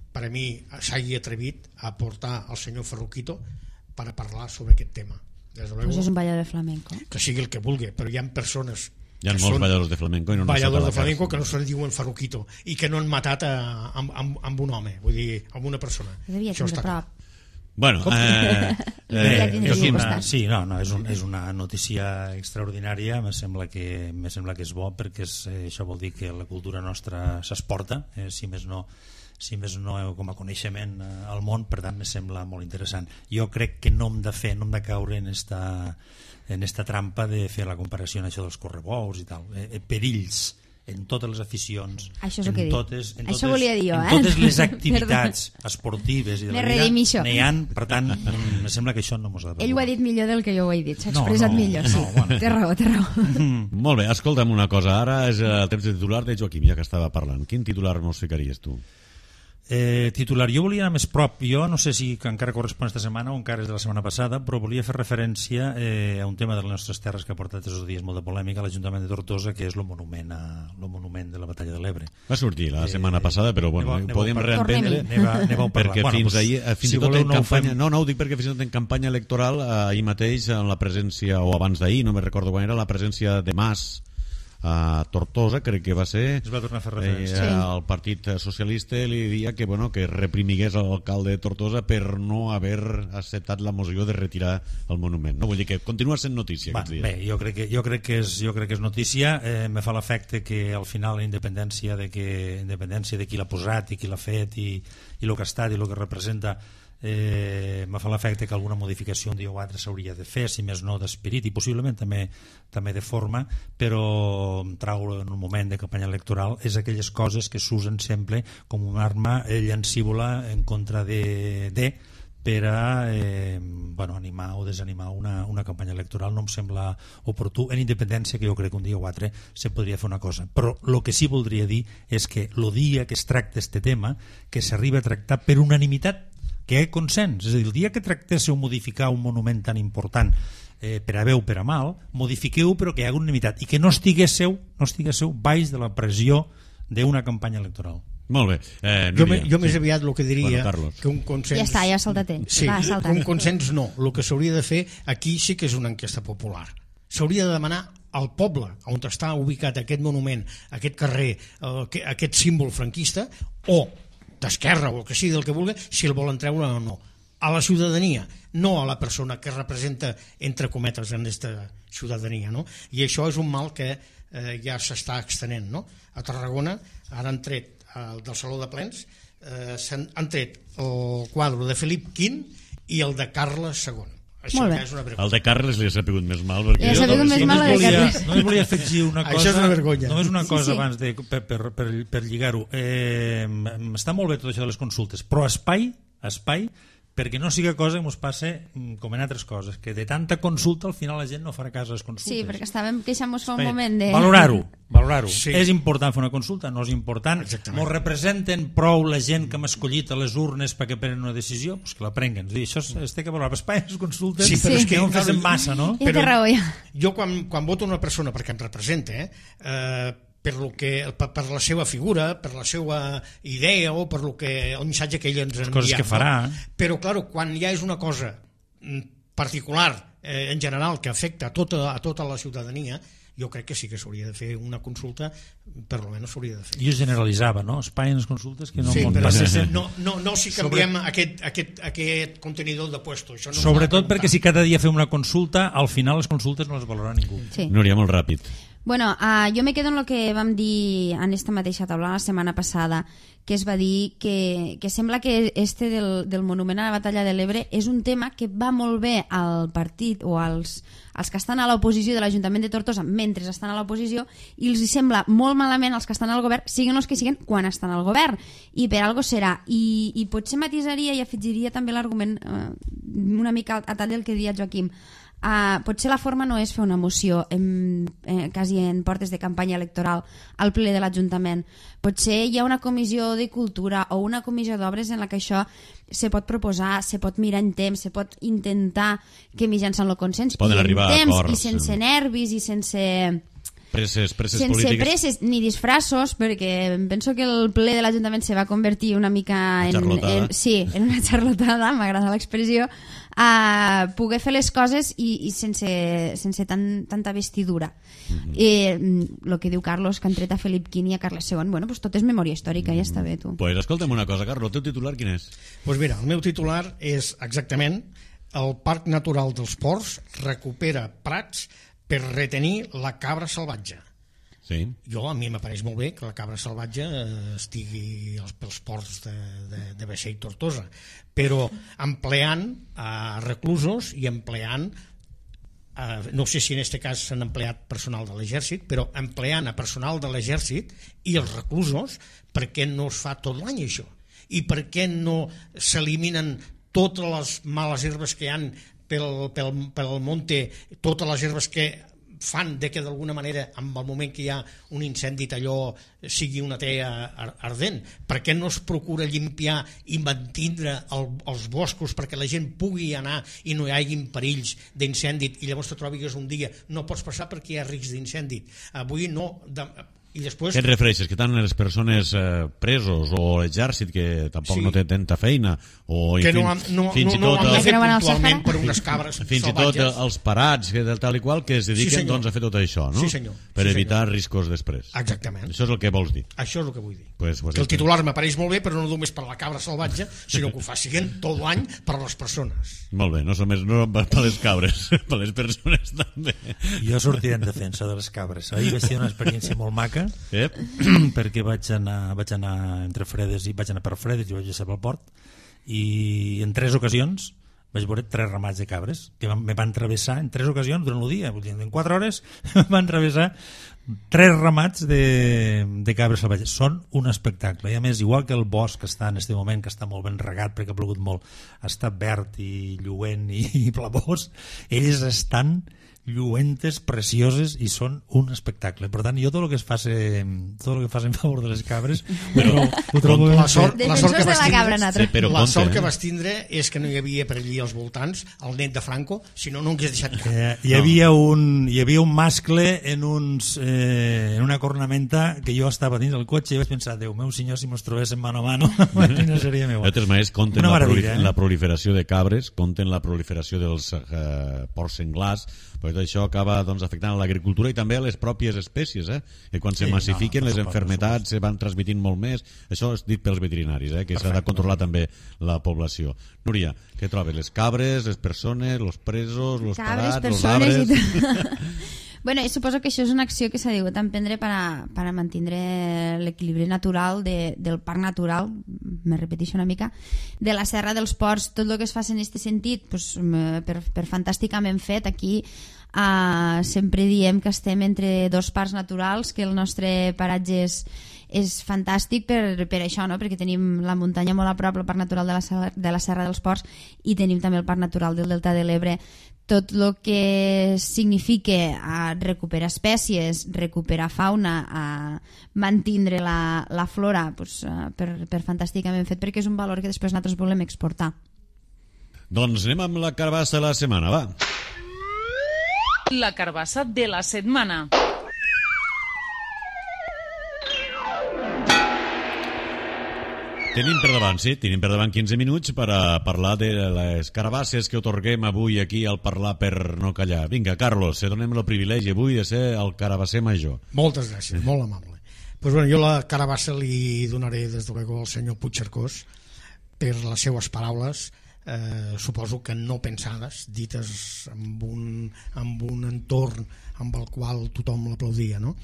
per a mi s'hagi atrevit a portar el senyor Ferruquito per a parlar sobre aquest tema. Pues és un ballador de flamenco. Que sigui el que vulgui, però hi ha persones... Hi ha molts balladors de flamenco i no balladors de flamenco que no se li diuen Ferruquito i que no han matat amb un home, vull dir, amb una persona. Això està clar. Bueno, sí, no, és una notícia extraordinària, me sembla que és bo, perquè això vol dir que la cultura nostra s'exporta, si més no com a coneixement al món, per tant me sembla molt interessant. Jo crec que no hem de caure en esta trampa de fer la comparació en això dels correbous i tal, perills en totes les aficions, això és el que això volia dir jo, en totes les activitats esportives i de la vida n'hi ha, per tant em sembla que això no mos ha de preocupar. Ell ho ha dit millor del que jo ho he dit, s'ha expressat millor, sí. Bueno. Té raó. Molt bé, escolta'm una cosa, ara és el temps de titular de Joaquim, ja que estava parlant. Quin titular mos ficaries tu? Titular, jo volia anar més prop, jo no sé si encara correspon esta setmana o encara és de la setmana passada, però volia fer referència a un tema de les nostres terres que ha portat aquests dies molt de polèmica a l'Ajuntament de Tortosa, que és el monument de la Batalla de l'Ebre. Va sortir la setmana passada, però bueno, podem reemprendre perquè fins i tot en campanya, no ho dic perquè fins i tot en campanya electoral ahir mateix en la presència, o abans d'ahir, no me recordo quan era, la presència de Mas a Tortosa, crec que va ser, es va tornar a fer referència. El Partit Socialista li deia que reprimigués l'alcalde de Tortosa per no haver acceptat la moció de retirar el monument. No, vull dir que continua sent notícia aquests dies. Bé, jo crec que és notícia. Me fa l'efecte que al final la independència de qui l'ha posat i qui l'ha fet i el que ha estat i el que representa, me fa l'efecte que alguna modificació un dia o altre s'hauria de fer, si més no d'esperit i possiblement també de forma, però traure en un moment de campanya electoral és aquelles coses que s'usen sempre com una arma llancívola en contra per a animar o desanimar una campanya electoral. No em sembla oportú, en independència que jo crec que un dia o altre se podria fer una cosa, però el que sí voldria dir és que el dia que es tracta este tema, que s'arriba a tractar per unanimitat, que hi ha consens, és a dir, el dia que tractéssiu modificar un monument tan important per a bé o per a mal, modifiqueu però que hi hagi unanimitat i que no estiguéssiu baix de la pressió d'una campanya electoral. Molt bé. Jo més aviat el que diria que un consens... Ja està, ja ha saltat ell. Sí, un consens no. El que s'hauria de fer aquí sí que és una enquesta popular. S'hauria de demanar al poble on està ubicat aquest monument, aquest carrer, aquest símbol franquista, o d'esquerra o el que sigui del que vulgui, si el volen treure o no. A la ciutadania, no a la persona que representa, entre cometes, en aquesta ciutadania, no? I això és un mal que ja s'està extenent, no? A Tarragona ara han tret del Saló de Plens, han tret el quadre de Felip V i el de Carles II. Això ja és una vergonya. El de Carles li ha sapigut més mal perquè... Li ha sapigut més mal el de Carles. Només volia afegir una cosa. Això és una vergonya. Només una cosa abans per lligar-ho. Està molt bé tot això de les consultes, però espai perquè no sigui cosa que ens passe com en altres coses, que de tanta consulta al final la gent no farà cas a les consultes. Sí, perquè estàvem queixant-nos fa un moment de... Valorar-ho. Sí. És important fer una consulta, no és important. Exactament. Ens representen prou la gent que hem escollit a les urnes perquè prenen una decisió, doncs que la prenguen. Això es té que valorar. Espai, les consultes, sí, però és que no en fem massa, no? I té raó, ja. Jo quan voto una persona perquè em representa, per la seva figura, per la seva idea o per el missatge que ell ens ha enviat. Coses que farà. Però, clar, quan ja és una cosa particular, en general, que afecta a tota la ciutadania, jo crec que sí que s'hauria de fer una consulta, per almenys s'hauria de fer. Jo generalitzava, no? Espai en les consultes que no... Sí, però no si canviem aquest contenidor de puesto. Això no sobretot perquè si cada dia fem una consulta, al final les consultes no les valora ningú. Sí. Núria, molt ràpid. Bueno, jo me quedo en el que vam dir en esta mateixa taula la setmana passada, que es va dir que sembla que del monument a la batalla de l'Ebre és un tema que va molt bé al partit o als que estan a l'oposició de l'Ajuntament de Tortosa mentre estan a l'oposició, i els sembla molt malament als que estan al govern, siguin els que siguin, quan estan al govern, i per algo serà. I potser matisaria i afegiria també l'argument una mica a tall del que deia Joaquim. Potser la forma no és fer una moció quasi en portes de campanya electoral al ple de l'Ajuntament. Potser hi ha una comissió de cultura o una comissió d'obres en la que això se pot proposar, se pot mirar en temps, se pot intentar que mitjançant el consens poden arribar a acords, i sense nervis i sense presses sense polítiques. presses ni disfressos, perquè penso que el ple de l'Ajuntament se va convertir una mica en una xarlotada, m'agrada l'expressió, a poder fer les coses i sense tanta vestidura. El que diu Carlos, que han tret a Felip V i a Carles II, bueno, pues tot és memòria històrica, ja està bé, tu. Pues escolta'm una cosa, Carlos, el teu titular quin és? Pues mira, el meu titular és exactament: el Parc Natural dels Ports recupera prats per retenir la cabra salvatge. Sí. A mi m'apareix molt bé que la cabra salvatge estigui pels ports de Vaixell Tortosa, però empleant reclusos i empleant, no sé si en aquest cas s'han empleat personal de l'exèrcit, però empleant a personal de l'exèrcit i els reclusos, per què no es fa tot l'any això? I per què no s'eliminen totes les males herbes que hi ha pel monte, totes les herbes que fan de que d'alguna manera en el moment que hi ha un incendi allò sigui una tea ardent? Per què no es procura limpiar i mantindre els boscos perquè la gent pugui anar i no hi hagin perills d'incendi i llavors te trobis un dia no pots passar perquè hi ha risc d'incendi? Avui no... I després... Què et refereixes? Que tant les persones presos o l'exèrcit que tampoc no té tanta feina o que no han de fer puntualment per unes cabres fins salvatges. I tot els parats tal i qual que es dediquen doncs, a fer tot això, no? Sí, senyor. Per evitar riscos després. Exactament. Això és el que vols dir. Això és el que vull dir. Pues que el titular m'apareix molt bé, però no només per la cabra salvatge, sinó que ho facin tot l'any per a les persones. Molt bé, no per les cabres, per les persones també. Jo sortiré en defensa de les cabres. Ahir vaig tenir una experiència molt maca, perquè vaig anar entre Fredes i vaig anar per Fredes i vaig estar pel port, i en 3 ocasions vaig veure 3 ramats de cabres que me van travessar en 3 ocasions durant el dia. En 4 hores van travessar 3 ramats de cabres salvatges. Són un espectacle, i a més, igual que el bosc que està en aquest moment, que està molt ben regat perquè ha plogut molt, està verd i lluent i blavós, ells estan lluentes, precioses, i són un espectacle. Per tant, jo tot el que faci en favor de les cabres ho trobo la sort que vas tindre és que no hi havia per allí als voltants el net de Franco, si no hagués deixat cap. Hi havia un mascle en una cornamenta que jo estava dins del cotxe i vaig pensar, Déu meu senyor, si mos trobéssim mano a mano no seria meu. De totes maneres, compten la proliferació de cabres, compten la proliferació dels porcs senglars, perquè tot això acaba afectant l'agricultura i també a les pròpies espècies, que quan se massifiquen les malalties se van transmitint molt més. Això és dit pels veterinaris, que s'ha de controlar també la població. Núria, què trobes? Les cabres, les persones, els presos, els parats, els arbres... Bueno, suposo que això és una acció que s'ha de emprendre per a mantenir l'equilibri natural del parc natural, me repeteixo una mica, de la Serra dels Ports. Tot el que es fa en aquest sentit, per fantàsticament fet. Aquí sempre diem que estem entre 2 parcs naturals, que el nostre paratge és fantàstic per això, no? Perquè tenim la muntanya molt a prop, el parc natural de la Serra dels Ports, i tenim també el parc natural del Delta de l'Ebre. Tot el que significa recuperar espècies, recuperar fauna, mantindre la flora, per fantàsticament fet, perquè és un valor que després nosaltres volem exportar. Doncs anem amb la carbassa de la setmana, va. La carbassa de la setmana. Tenim per davant 15 minuts per a parlar de les carabasses que otorguem avui aquí al Parlar per no callar. Vinga, Carlos, se donem el privilegi avui de ser el carabasser major. Moltes gràcies, molt amable. Pues bueno, jo la carabassa li donaré des de luego al senyor Puigcercós per les seues paraules, suposo que no pensades, dites amb un entorn amb el qual tothom l'aplaudia, no?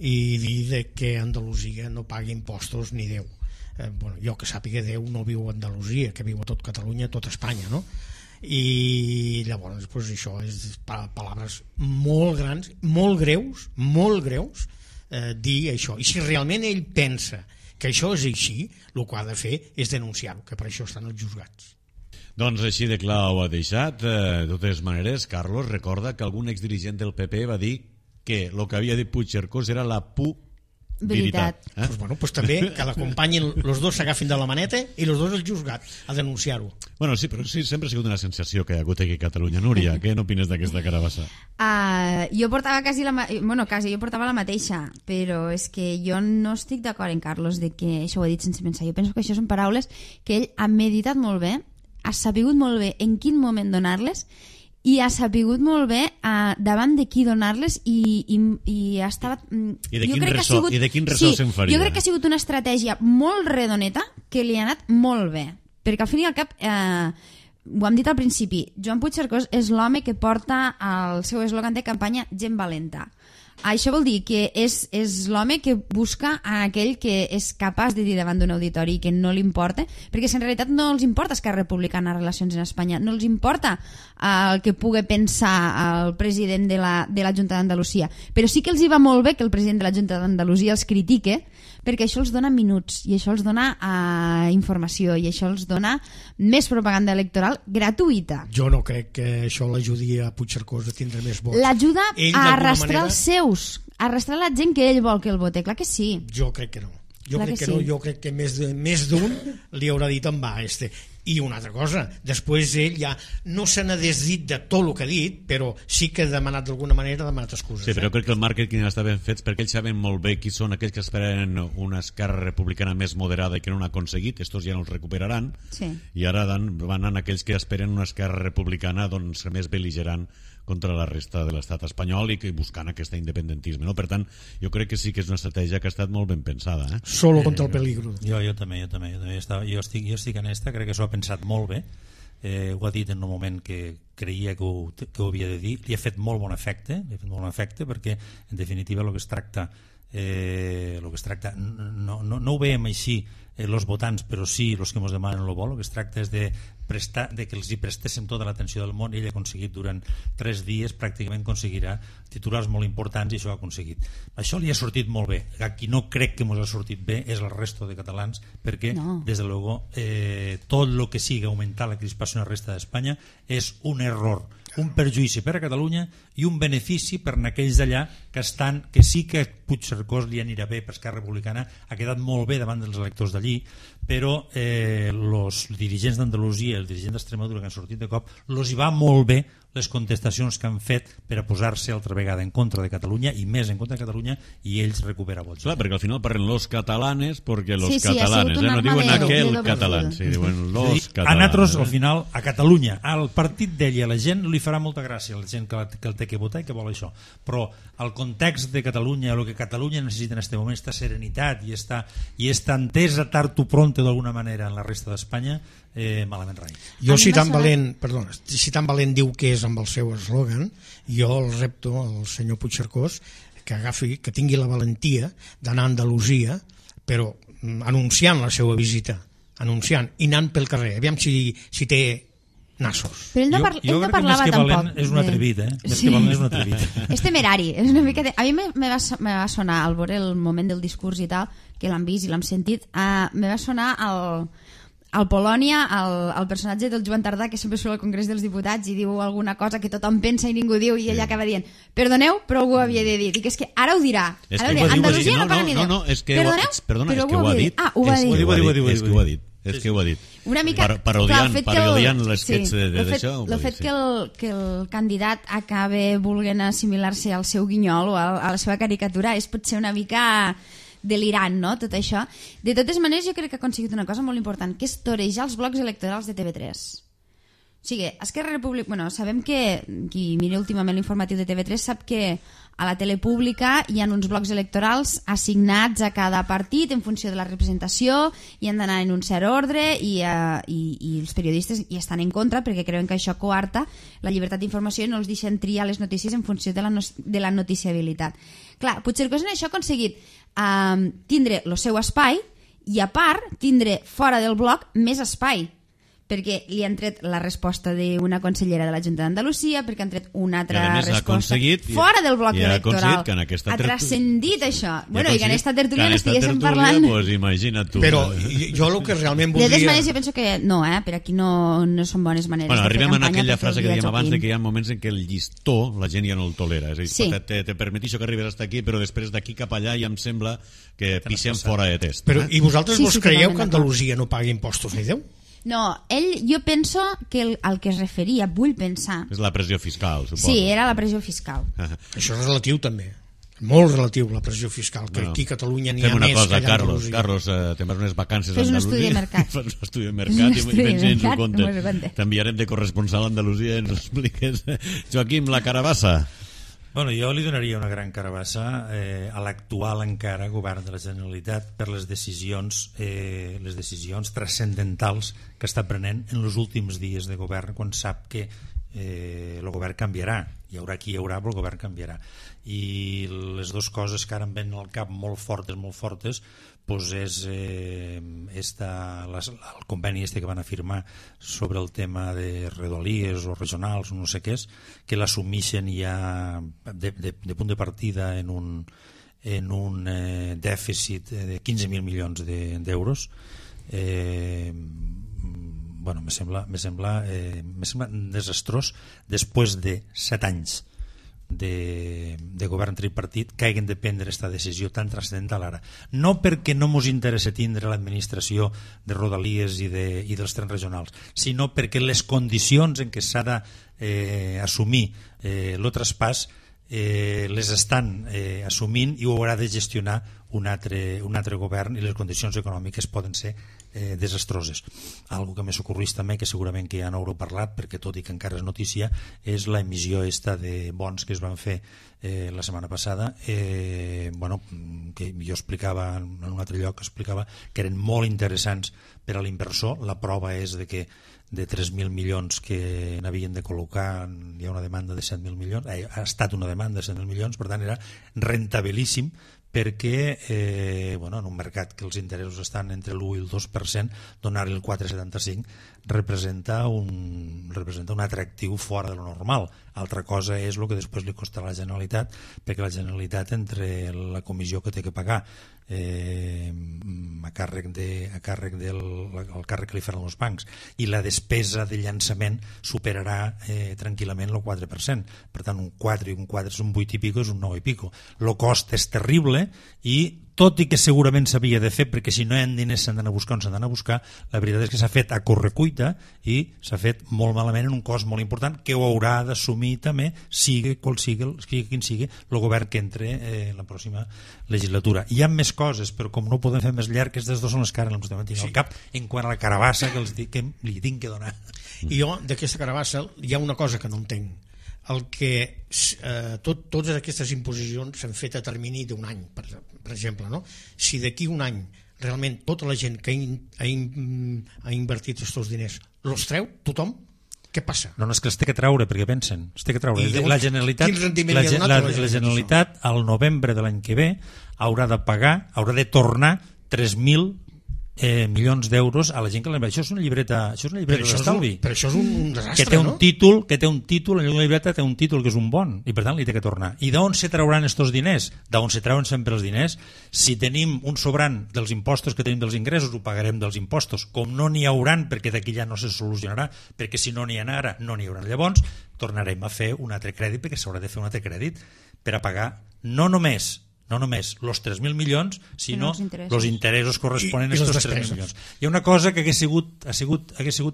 I dir que Andalusia no pagui impostos ni Déu. Bueno, jo que sàpiga, Déu no viu a Andalusia, que viu a tot Catalunya, a tot Espanya, no? I llavors pues, això és paraules molt grans, molt greus, dir això. I si realment ell pensa que això és així, el que ha de fer és denunciar-ho, que per això estan els juzgats. Doncs així de clar ho ha deixat. De totes maneres, Carlos recorda que algun exdirigent del PP va dir que el que havia dit Puigcercós era la veritat. Pues bueno, pues també que l'acompanyin, els dos s'agafin de la maneta i els dos el juzgat a denunciar-ho. Bueno, sí, però sí, sempre ha sigut una sensació que hi ha hagut aquí a Catalunya. Núria, què n'opines d'aquesta carabassa? Jo portava jo portava la mateixa, però és que jo no estic d'acord en Carlos de que això ho ha dit sense pensar. Jo penso que això són paraules que ell ha meditat molt bé, ha sapigut molt bé en quin moment donar-les i ha sapigut molt bé davant de qui donar-les i ha estat... I de quin ressò se'n faria? Jo crec que ha sigut una estratègia molt redoneta que li ha anat molt bé, perquè al fin i al cap ho hem dit al principi, Joan Puigcercós és l'home que porta el seu eslògan de campanya Gent valenta. Això vol dir que és l'home que busca a aquell que és capaç de dir davant d'un auditori que no li importa, perquè si en realitat no els importa Esquerra Republicana relacions en Espanya, no els importa el que pugui pensar el president de la Junta d'Andalusia, però sí que els hi va molt bé que el president de la Junta d'Andalusia els critique, perquè això els dona minuts i això els dona informació i això els dona més propaganda electoral gratuïta. Jo no crec que això l'ajudi a Puigcercós a tindre més vots. L'ajuda a arrastrar els seus, a arrastrar la gent que ell vol que el vote, clar que sí. Jo crec que no. Jo crec que més d'un li haurà dit en va I una altra cosa, després ell ja no se n'ha desdit de tot el que ha dit, però sí que ha demanat d'alguna manera, ha demanat excuses. Sí, però crec que el màrqueting està ben fet perquè ells saben molt bé qui són aquells que esperen una Esquerra Republicana més moderada i que no n'ha aconseguit, estos ja no els recuperaran, sí. I ara van anar aquells que esperen una Esquerra Republicana doncs, més bel·ligerant contra la resta de l'estat espanyol i que buscant aquest independentisme, no? Per tant, jo crec que sí que és una estratègia que ha estat molt ben pensada, Solo contra el peligro. Jo també estic en esta, crec que s'ho ha pensat molt bé, ho ha dit en un moment que creia que ho havia de dir, li ha fet molt bon efecte, perquè en definitiva el que es tracta no ho veiem així els votants, però sí els que ens demanen el vol. El que es tracta és de que els hi prestéssim tota l'atenció del món, i ell ha aconseguit durant 3 dies, pràcticament aconseguirà titulars molt importants i això ho ha aconseguit. Això li ha sortit molt bé. A qui no crec que ens ha sortit bé és el resto de catalans, perquè des de luego tot el que sigui augmentar la crispació en la resta d'Espanya és un error, un perjudici per a Catalunya i un benefici per a aquells d'allà que sí que Puigcercós li anirà bé, per Esquerra Republicana ha quedat molt bé davant dels electors d'allí, però els dirigents d'Andalusia i els dirigents d'Extremadura que han sortit de cop els hi va molt bé les contestacions que han fet per a posar-se altra vegada en contra de Catalunya i més en contra de Catalunya, i ells recupera vots. Clar, perquè al final parlen los catalanes perquè los catalanes, no diuen aquel català, sí, diuen los catalanes. A nosaltres, al final, a Catalunya, al partit d'ell i a la gent li farà molta gràcia, a la gent que el té que votar i que vol això, però el context de Catalunya, el que Catalunya necessita en aquest moment, esta serenitat i esta entesa tard o pronto d'alguna manera en la resta d'Espanya, malament rai. Jo, si tan valent diu que és amb el seu eslògan, jo el repto al senyor Puigcercós que tingui la valentia d'anar a Andalusia, però anunciant la seva visita, i anant pel carrer, aviam si té nassos. Però ell no parlava tampoc. És un atrevit, Més que valent és un atrevit. És temerari. És una mica a mi me va sonar, al veure el moment del discurs i tal, que l'hem vist i l'hem sentit, me va sonar al Polònia, el personatge del Joan Tardà, que sempre surt al Congrés dels Diputats i diu alguna cosa que tothom pensa i ningú diu, i ell acaba dient, perdoneu, però algú havia de dir. Dic, és que ara ho dirà. Andalusia no paga ni Déu. Perdona, és que ho ha dit. Ho ha dit. És que ho ha dit. Una mica parodiant l'esquets d'això. El fet que el candidat acabe volent assimilar-se al seu guinyol o a la seva caricatura és potser una mica delirant, no?, tot això. De totes maneres, jo crec que ha aconseguit una cosa molt important, que és torejar els blocs electorals de TV3. O sigui, Esquerra Republicana... Bueno, sabem que, qui mira últimament l'informatiu de TV3 sap que a la tele pública hi ha uns blocs electorals assignats a cada partit en funció de la representació i han d'anar en un cert ordre i els periodistes hi estan en contra perquè creuen que això coarta la llibertat d'informació i no els deixen triar les notícies en funció de la noticiabilitat. Clar, Puigcercós en això ha aconseguit tindre el seu espai i a part tindre fora del bloc més espai, perquè li han tret la resposta d'una consellera de la Junta d'Andalusia, perquè han tret una altra resposta fora del bloc electoral. Ha transcendit això. Bueno, i que en aquesta tertúlia n'estiguéssim parlant... Pues imagina't tu. Però jo el que realment voldria... De totes maneres, jo penso que no, per aquí no són bones maneres de fer campanya. Arribem a aquella frase que dèiem abans de que hi ha moments en què el llistó la gent ja no el tolera. És a dir, te permetixo que arribes hasta aquí, però després d'aquí cap allà ja em sembla que pixem fora de test. Però i vosaltres vos creieu que Andalusia no pagui impostos ni Déu? No, jo penso que el que es referia, vull pensar... És la pressió fiscal, suposo. Sí, era la pressió fiscal. Això és relatiu, també. Molt relatiu, la pressió fiscal, que aquí a Catalunya n'hi ha més que allà a Andalusia. Carlos, te'n vas unes vacances a Andalusia. Fes un estudi de mercat. Fes un estudi de mercat i vens i ens ho comptes. T'enviarem de corresponsal a Andalusia i ens ho expliques. Joaquim, la carabassa. Bueno, jo li donaria una gran carabassa a l'actual encara govern de la Generalitat per les decisions transcendentals que està prenent en els últims dies de govern, quan sap que el govern canviarà. Hi haurà qui hi haurà, però el govern canviarà. I les dues coses que ara em ven al cap molt fortes, doncs és el conveni que van afirmar sobre el tema de rodalies o regionals o no sé què és, que l'assumeixen ja de punt de partida en un dèficit de 15.000 milions d'euros. Bueno, me sembla desastrós després de 7 anys de govern tripartit que hagin de prendre aquesta decisió tan transcendental ara. No perquè no ens interessa tindre l'administració de rodalies i dels trens regionals, sinó perquè les condicions en què s'ha d'assumir el traspàs les estan assumint i ho haurà de gestionar un altre govern, i les condicions econòmiques poden ser desastroses. Algo que m'és ocorrís també, que segurament que ja no haureu parlat perquè tot i que encara és notícia, és la emissió de bons que es van fer la setmana passada, que jo explicava en un altre lloc, explicava que eren molt interessants per a l'inversor. La prova és que de 3.000 milions que n'havien de col·locar hi ha una demanda de 7.000 milions, ha estat una demanda de 7.000 milions, per tant era rentabilíssim, perquè en un mercat que els interessos estan entre l'1 i el 2%, donar-li el 4,75 representa un atractiu fora de lo normal. Altra cosa és el que després li costarà a la Generalitat, perquè la Generalitat, entre la comissió que té que pagar a càrrec del càrrec que li faran els bancs i la despesa de llançament, superarà tranquil·lament el 4%. Per tant, un 4 i un 4 és un 8 i pico, és un 9 i pico. El cost és terrible i tot i que segurament s'havia de fer, perquè si no hi ha diners s'han d'anar a buscar on s'han d'anar a buscar, la veritat és que s'ha fet a correcuita i s'ha fet molt malament en un cost molt important que ho haurà d'assumir també, sigui quin sigui el govern que entre la pròxima legislatura. Hi ha més coses, però com no ho podem fer més llarg, aquestes dues són les que ara no tinc al cap en quant a la carabassa que li tinc que donar. I jo d'aquesta carabassa hi ha una cosa que no entenc. El que totes aquestes imposicions s'han fet a termini d'un any, per exemple, no? Si d'aquí un any realment tota la gent que ha invertit aquests diners els treu, tothom, què passa? No, és que els té que treure, perquè pensen, els té que treure. La Generalitat al novembre de l'any que ve haurà de pagar, haurà de tornar 3.000 milions d'euros a la gent que l'ha invertit. Això és una llibreta d'estalvi. Però això és un desastre, que té un títol, la llibreta té un títol que és un bon, i per tant li té que tornar. I d'on se trauran aquests diners? D'on se treuen sempre els diners? Si tenim un sobrant dels impostos que tenim dels ingressos, ho pagarem dels impostos. Com no n'hi hauran, perquè d'aquí ja no se solucionarà, perquè si no n'hi ha ara, no n'hi haurà. Llavors, tornarem a fer un altre crèdit, perquè s'haurà de fer un altre crèdit per a pagar no només els 3.000 milions, sinó els interessos corresponents a aquests 3.000 milions. Hi ha una cosa que hagués sigut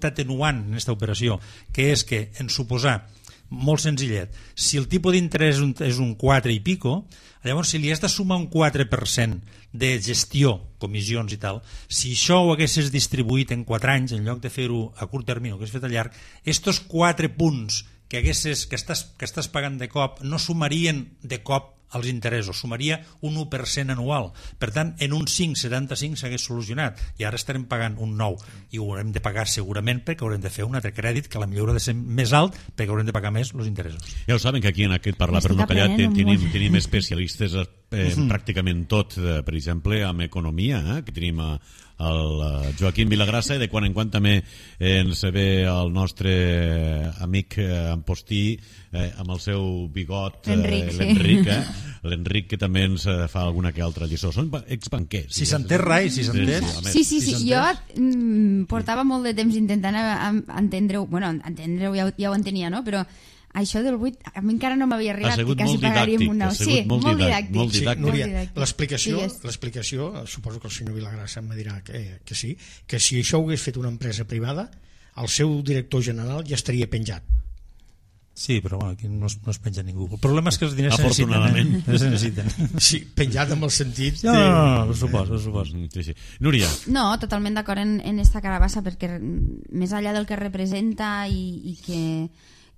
atenuant en aquesta operació, que és que, en suposar molt senzillet. Si el tipus d'interès és un 4 i pico, llavors si li has de sumar un 4% de gestió, comissions i tal, si això ho haguessis distribuït en 4 anys, en lloc de fer-ho a curt termini, que has fet a llarg, estos 4 punts que estàs pagant de cop no sumarien de cop els interessos, sumaria un 1% anual. Per tant, en un 5,75 s'hagués solucionat i ara estarem pagant un 9 i ho haurem de pagar segurament perquè haurem de fer un altre crèdit que potser haurà de ser més alt perquè haurem de pagar més els interessos. Ja ho saben que aquí en aquest Parlar per no callar tenim especialistes pràcticament tot, per exemple, en economia, que tenim el Joaquim Vilagrassa, i de quan en quan també ens ve el nostre amic Ampostí amb el seu bigot, l'Enric, que també ens fa alguna que altra lliçó. Són exbanquers. Si s'entén rai, si s'entén. Sí, jo portava molt de temps intentant entendre-ho, ja ho entenia, no? Però això del 8 a mi encara no m'havia arribat. Ha sigut molt didàctic. Molt didàctic. Núria, l'explicació, suposo que el senyor Vilagrassa em dirà que sí, que si això ho hagués fet una empresa privada, el seu director general ja estaria penjat. Sí, però aquí no es penja ningú. El problema és que els diners se necessiten. Sí, penjat amb el sentit... No, ho suposo. Sí. Núria. No, totalment d'acord en esta carabassa, perquè més enllà del que representa i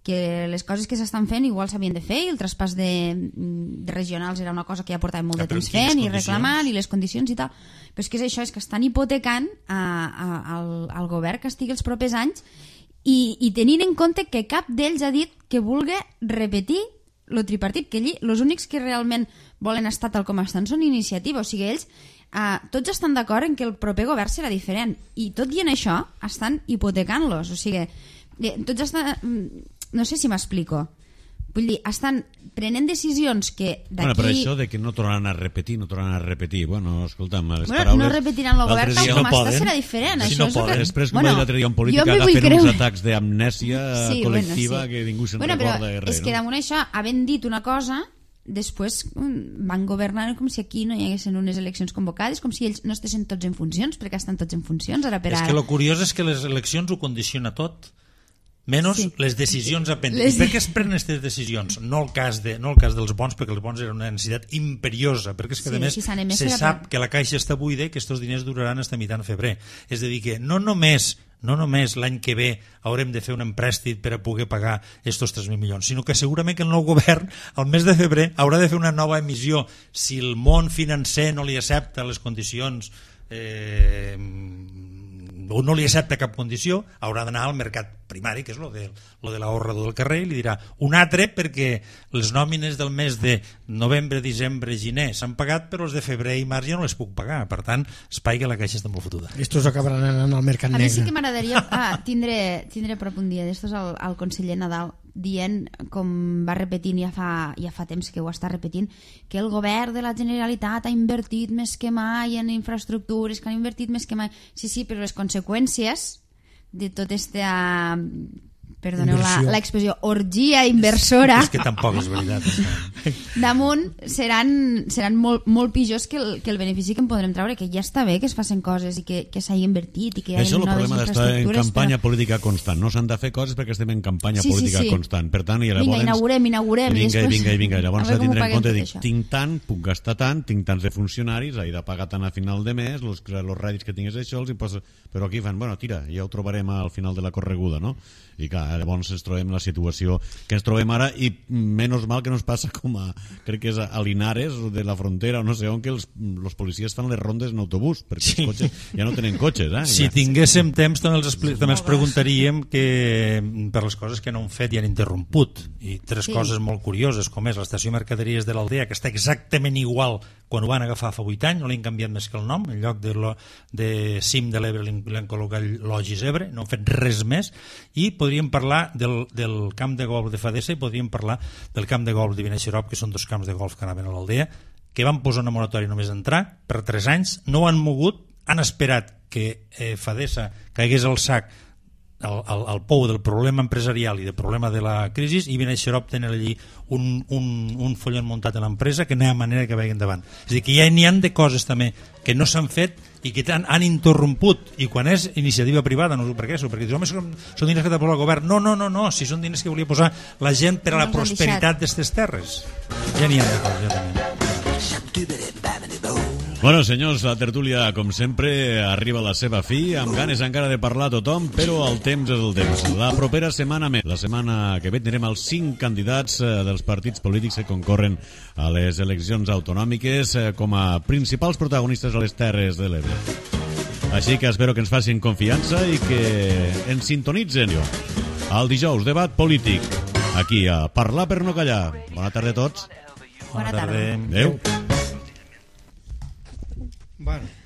que les coses que s'estan fent igual s'havien de fer, i el traspàs de regionals era una cosa que ja portàvem molt de temps fent i reclamant, i les condicions i tal, però és que és això, és que estan hipotecant al govern que estigui els propers anys i tenint en compte que cap d'ells ha dit que vulgui repetir el tripartit, que allí els únics que realment volen estar tal com estan són iniciativa, o sigui, ells tots estan d'acord en que el proper govern serà diferent, i tot i en això estan hipotecant-los, o sigui, tots estan... No sé si m'explico. Vull dir, estan prenent decisions que d'aquí... Bueno, però això de que no tornaran a repetir, bueno, escolta'm, les paraules... No repetiran el govern tal com està, serà diferent. Si no poden. Després, com va dir l'altre dia un polític, agafen uns atacs d'amnèsia col·lectiva que ningú se'n recorda de res. És que damunt això, havent dit una cosa, després van governar com si aquí no hi haguessin unes eleccions convocades, com si ells no estessin tots en funcions, perquè estan tots en funcions ara per ara. És que el curiós és que les eleccions ho condiciona tot, menys les decisions a prendre. I per què es prenen aquestes decisions? No el cas dels bons, perquè els bons eren una necessitat imperiosa, perquè és que a més se sap que la caixa està buida i que aquests diners duraran fins a mitjan febrer. És a dir, que no només l'any que ve haurem de fer un emprèstit per a poder pagar aquests 3.000 milions, sinó que segurament que el nou govern al mes de febrer haurà de fer una nova emissió. Si el món financer no li accepta les condicions o no li accepta cap condició, haurà d'anar al mercat primari, que és lo de l'ahorrador del carrer, i li dirà un altre perquè les nòmines del mes de novembre, desembre, gener s'han pagat, però els de febrer i març ja no les puc pagar. Per tant, espai que la caixa està molt fotuda. Estos acabaran anant al mercat negre. A mi sí que m'agradaria tindre prop un dia d'estos al conseller Nadal dient, com va repetint ja fa temps que ho està repetint, que el govern de la Generalitat ha invertit més que mai en infraestructures, que han invertit més que mai. Sí, però les conseqüències de tot esta, perdoneu l'expressió, orgia inversora, és que tampoc és veritat, damunt seran molt pitjors que el benefici que en podrem treure, que ja està bé que es facin coses i que s'hagi invertit i que hi hagi noves infraestructures. Això és el problema d'estar en campanya política constant. No s'han de fer coses perquè estem en campanya política constant. Per tant, vinga, inaugurem. Vinga. Llavors s'ha de tindre en compte, tinc tant, puc gastar tant, tinc tants de funcionaris, he de pagar tant a final de mes, els rèdits que tingués això, però aquí fan, tira, ja ho trobarem al final de la correguda, no? I clar, llavors ens trobem la situació que ens trobem ara, i menys mal que no es passa com crec que és a Linares de la frontera o no sé on, que els policies fan les rondes en autobús perquè els cotxes ja no tenen cotxes. Si tinguéssim temps també els preguntaríem per les coses que no han fet i han interromput, i tres coses molt curioses, com és l'estació Mercaderies de l'Aldea, que està exactament igual quan ho van agafar fa 8 anys, no li han canviat més que el nom, en lloc de Cim de l'Ebre li han col·locat Logis Ebre, no han fet res més. I podríem parlar del camp de golf de Fadessa i podríem parlar del camp de golf de Vineixerop, que són dos camps de golf que anaven a l'Aldea, que van posar una moratòria només d'entrar per 3 anys, no ho han mogut, han esperat que Fadessa caigués al sac al pou del problema empresarial i del problema de la crisi, i ben Xarop tenen allí un follon muntat a l'empresa que no hi ha manera que vagi endavant. És a dir, que ja n'hi ha de coses també que no s'han fet i que han interromput, i quan és iniciativa privada no sé per què, perquè dius, home, són diners que t'ha posat el govern. No, si són diners que volia posar la gent per a la prosperitat d'aquestes terres. Ja n'hi ha de coses, ja també. Bueno, senyors, la tertúlia, com sempre, arriba a la seva fi, amb ganes encara de parlar a tothom, però el temps és el temps. La propera setmana més. La setmana que ve tindrem els 5 candidats dels partits polítics que concorren a les eleccions autonòmiques com a principals protagonistes a les Terres de l'Ebre. Així que espero que ens facin confiança i que ens sintonitzen. El dijous, debat polític, aquí a Parlar per no callar. Bona tarda a tots. Bona tarda. Adéu. Bueno.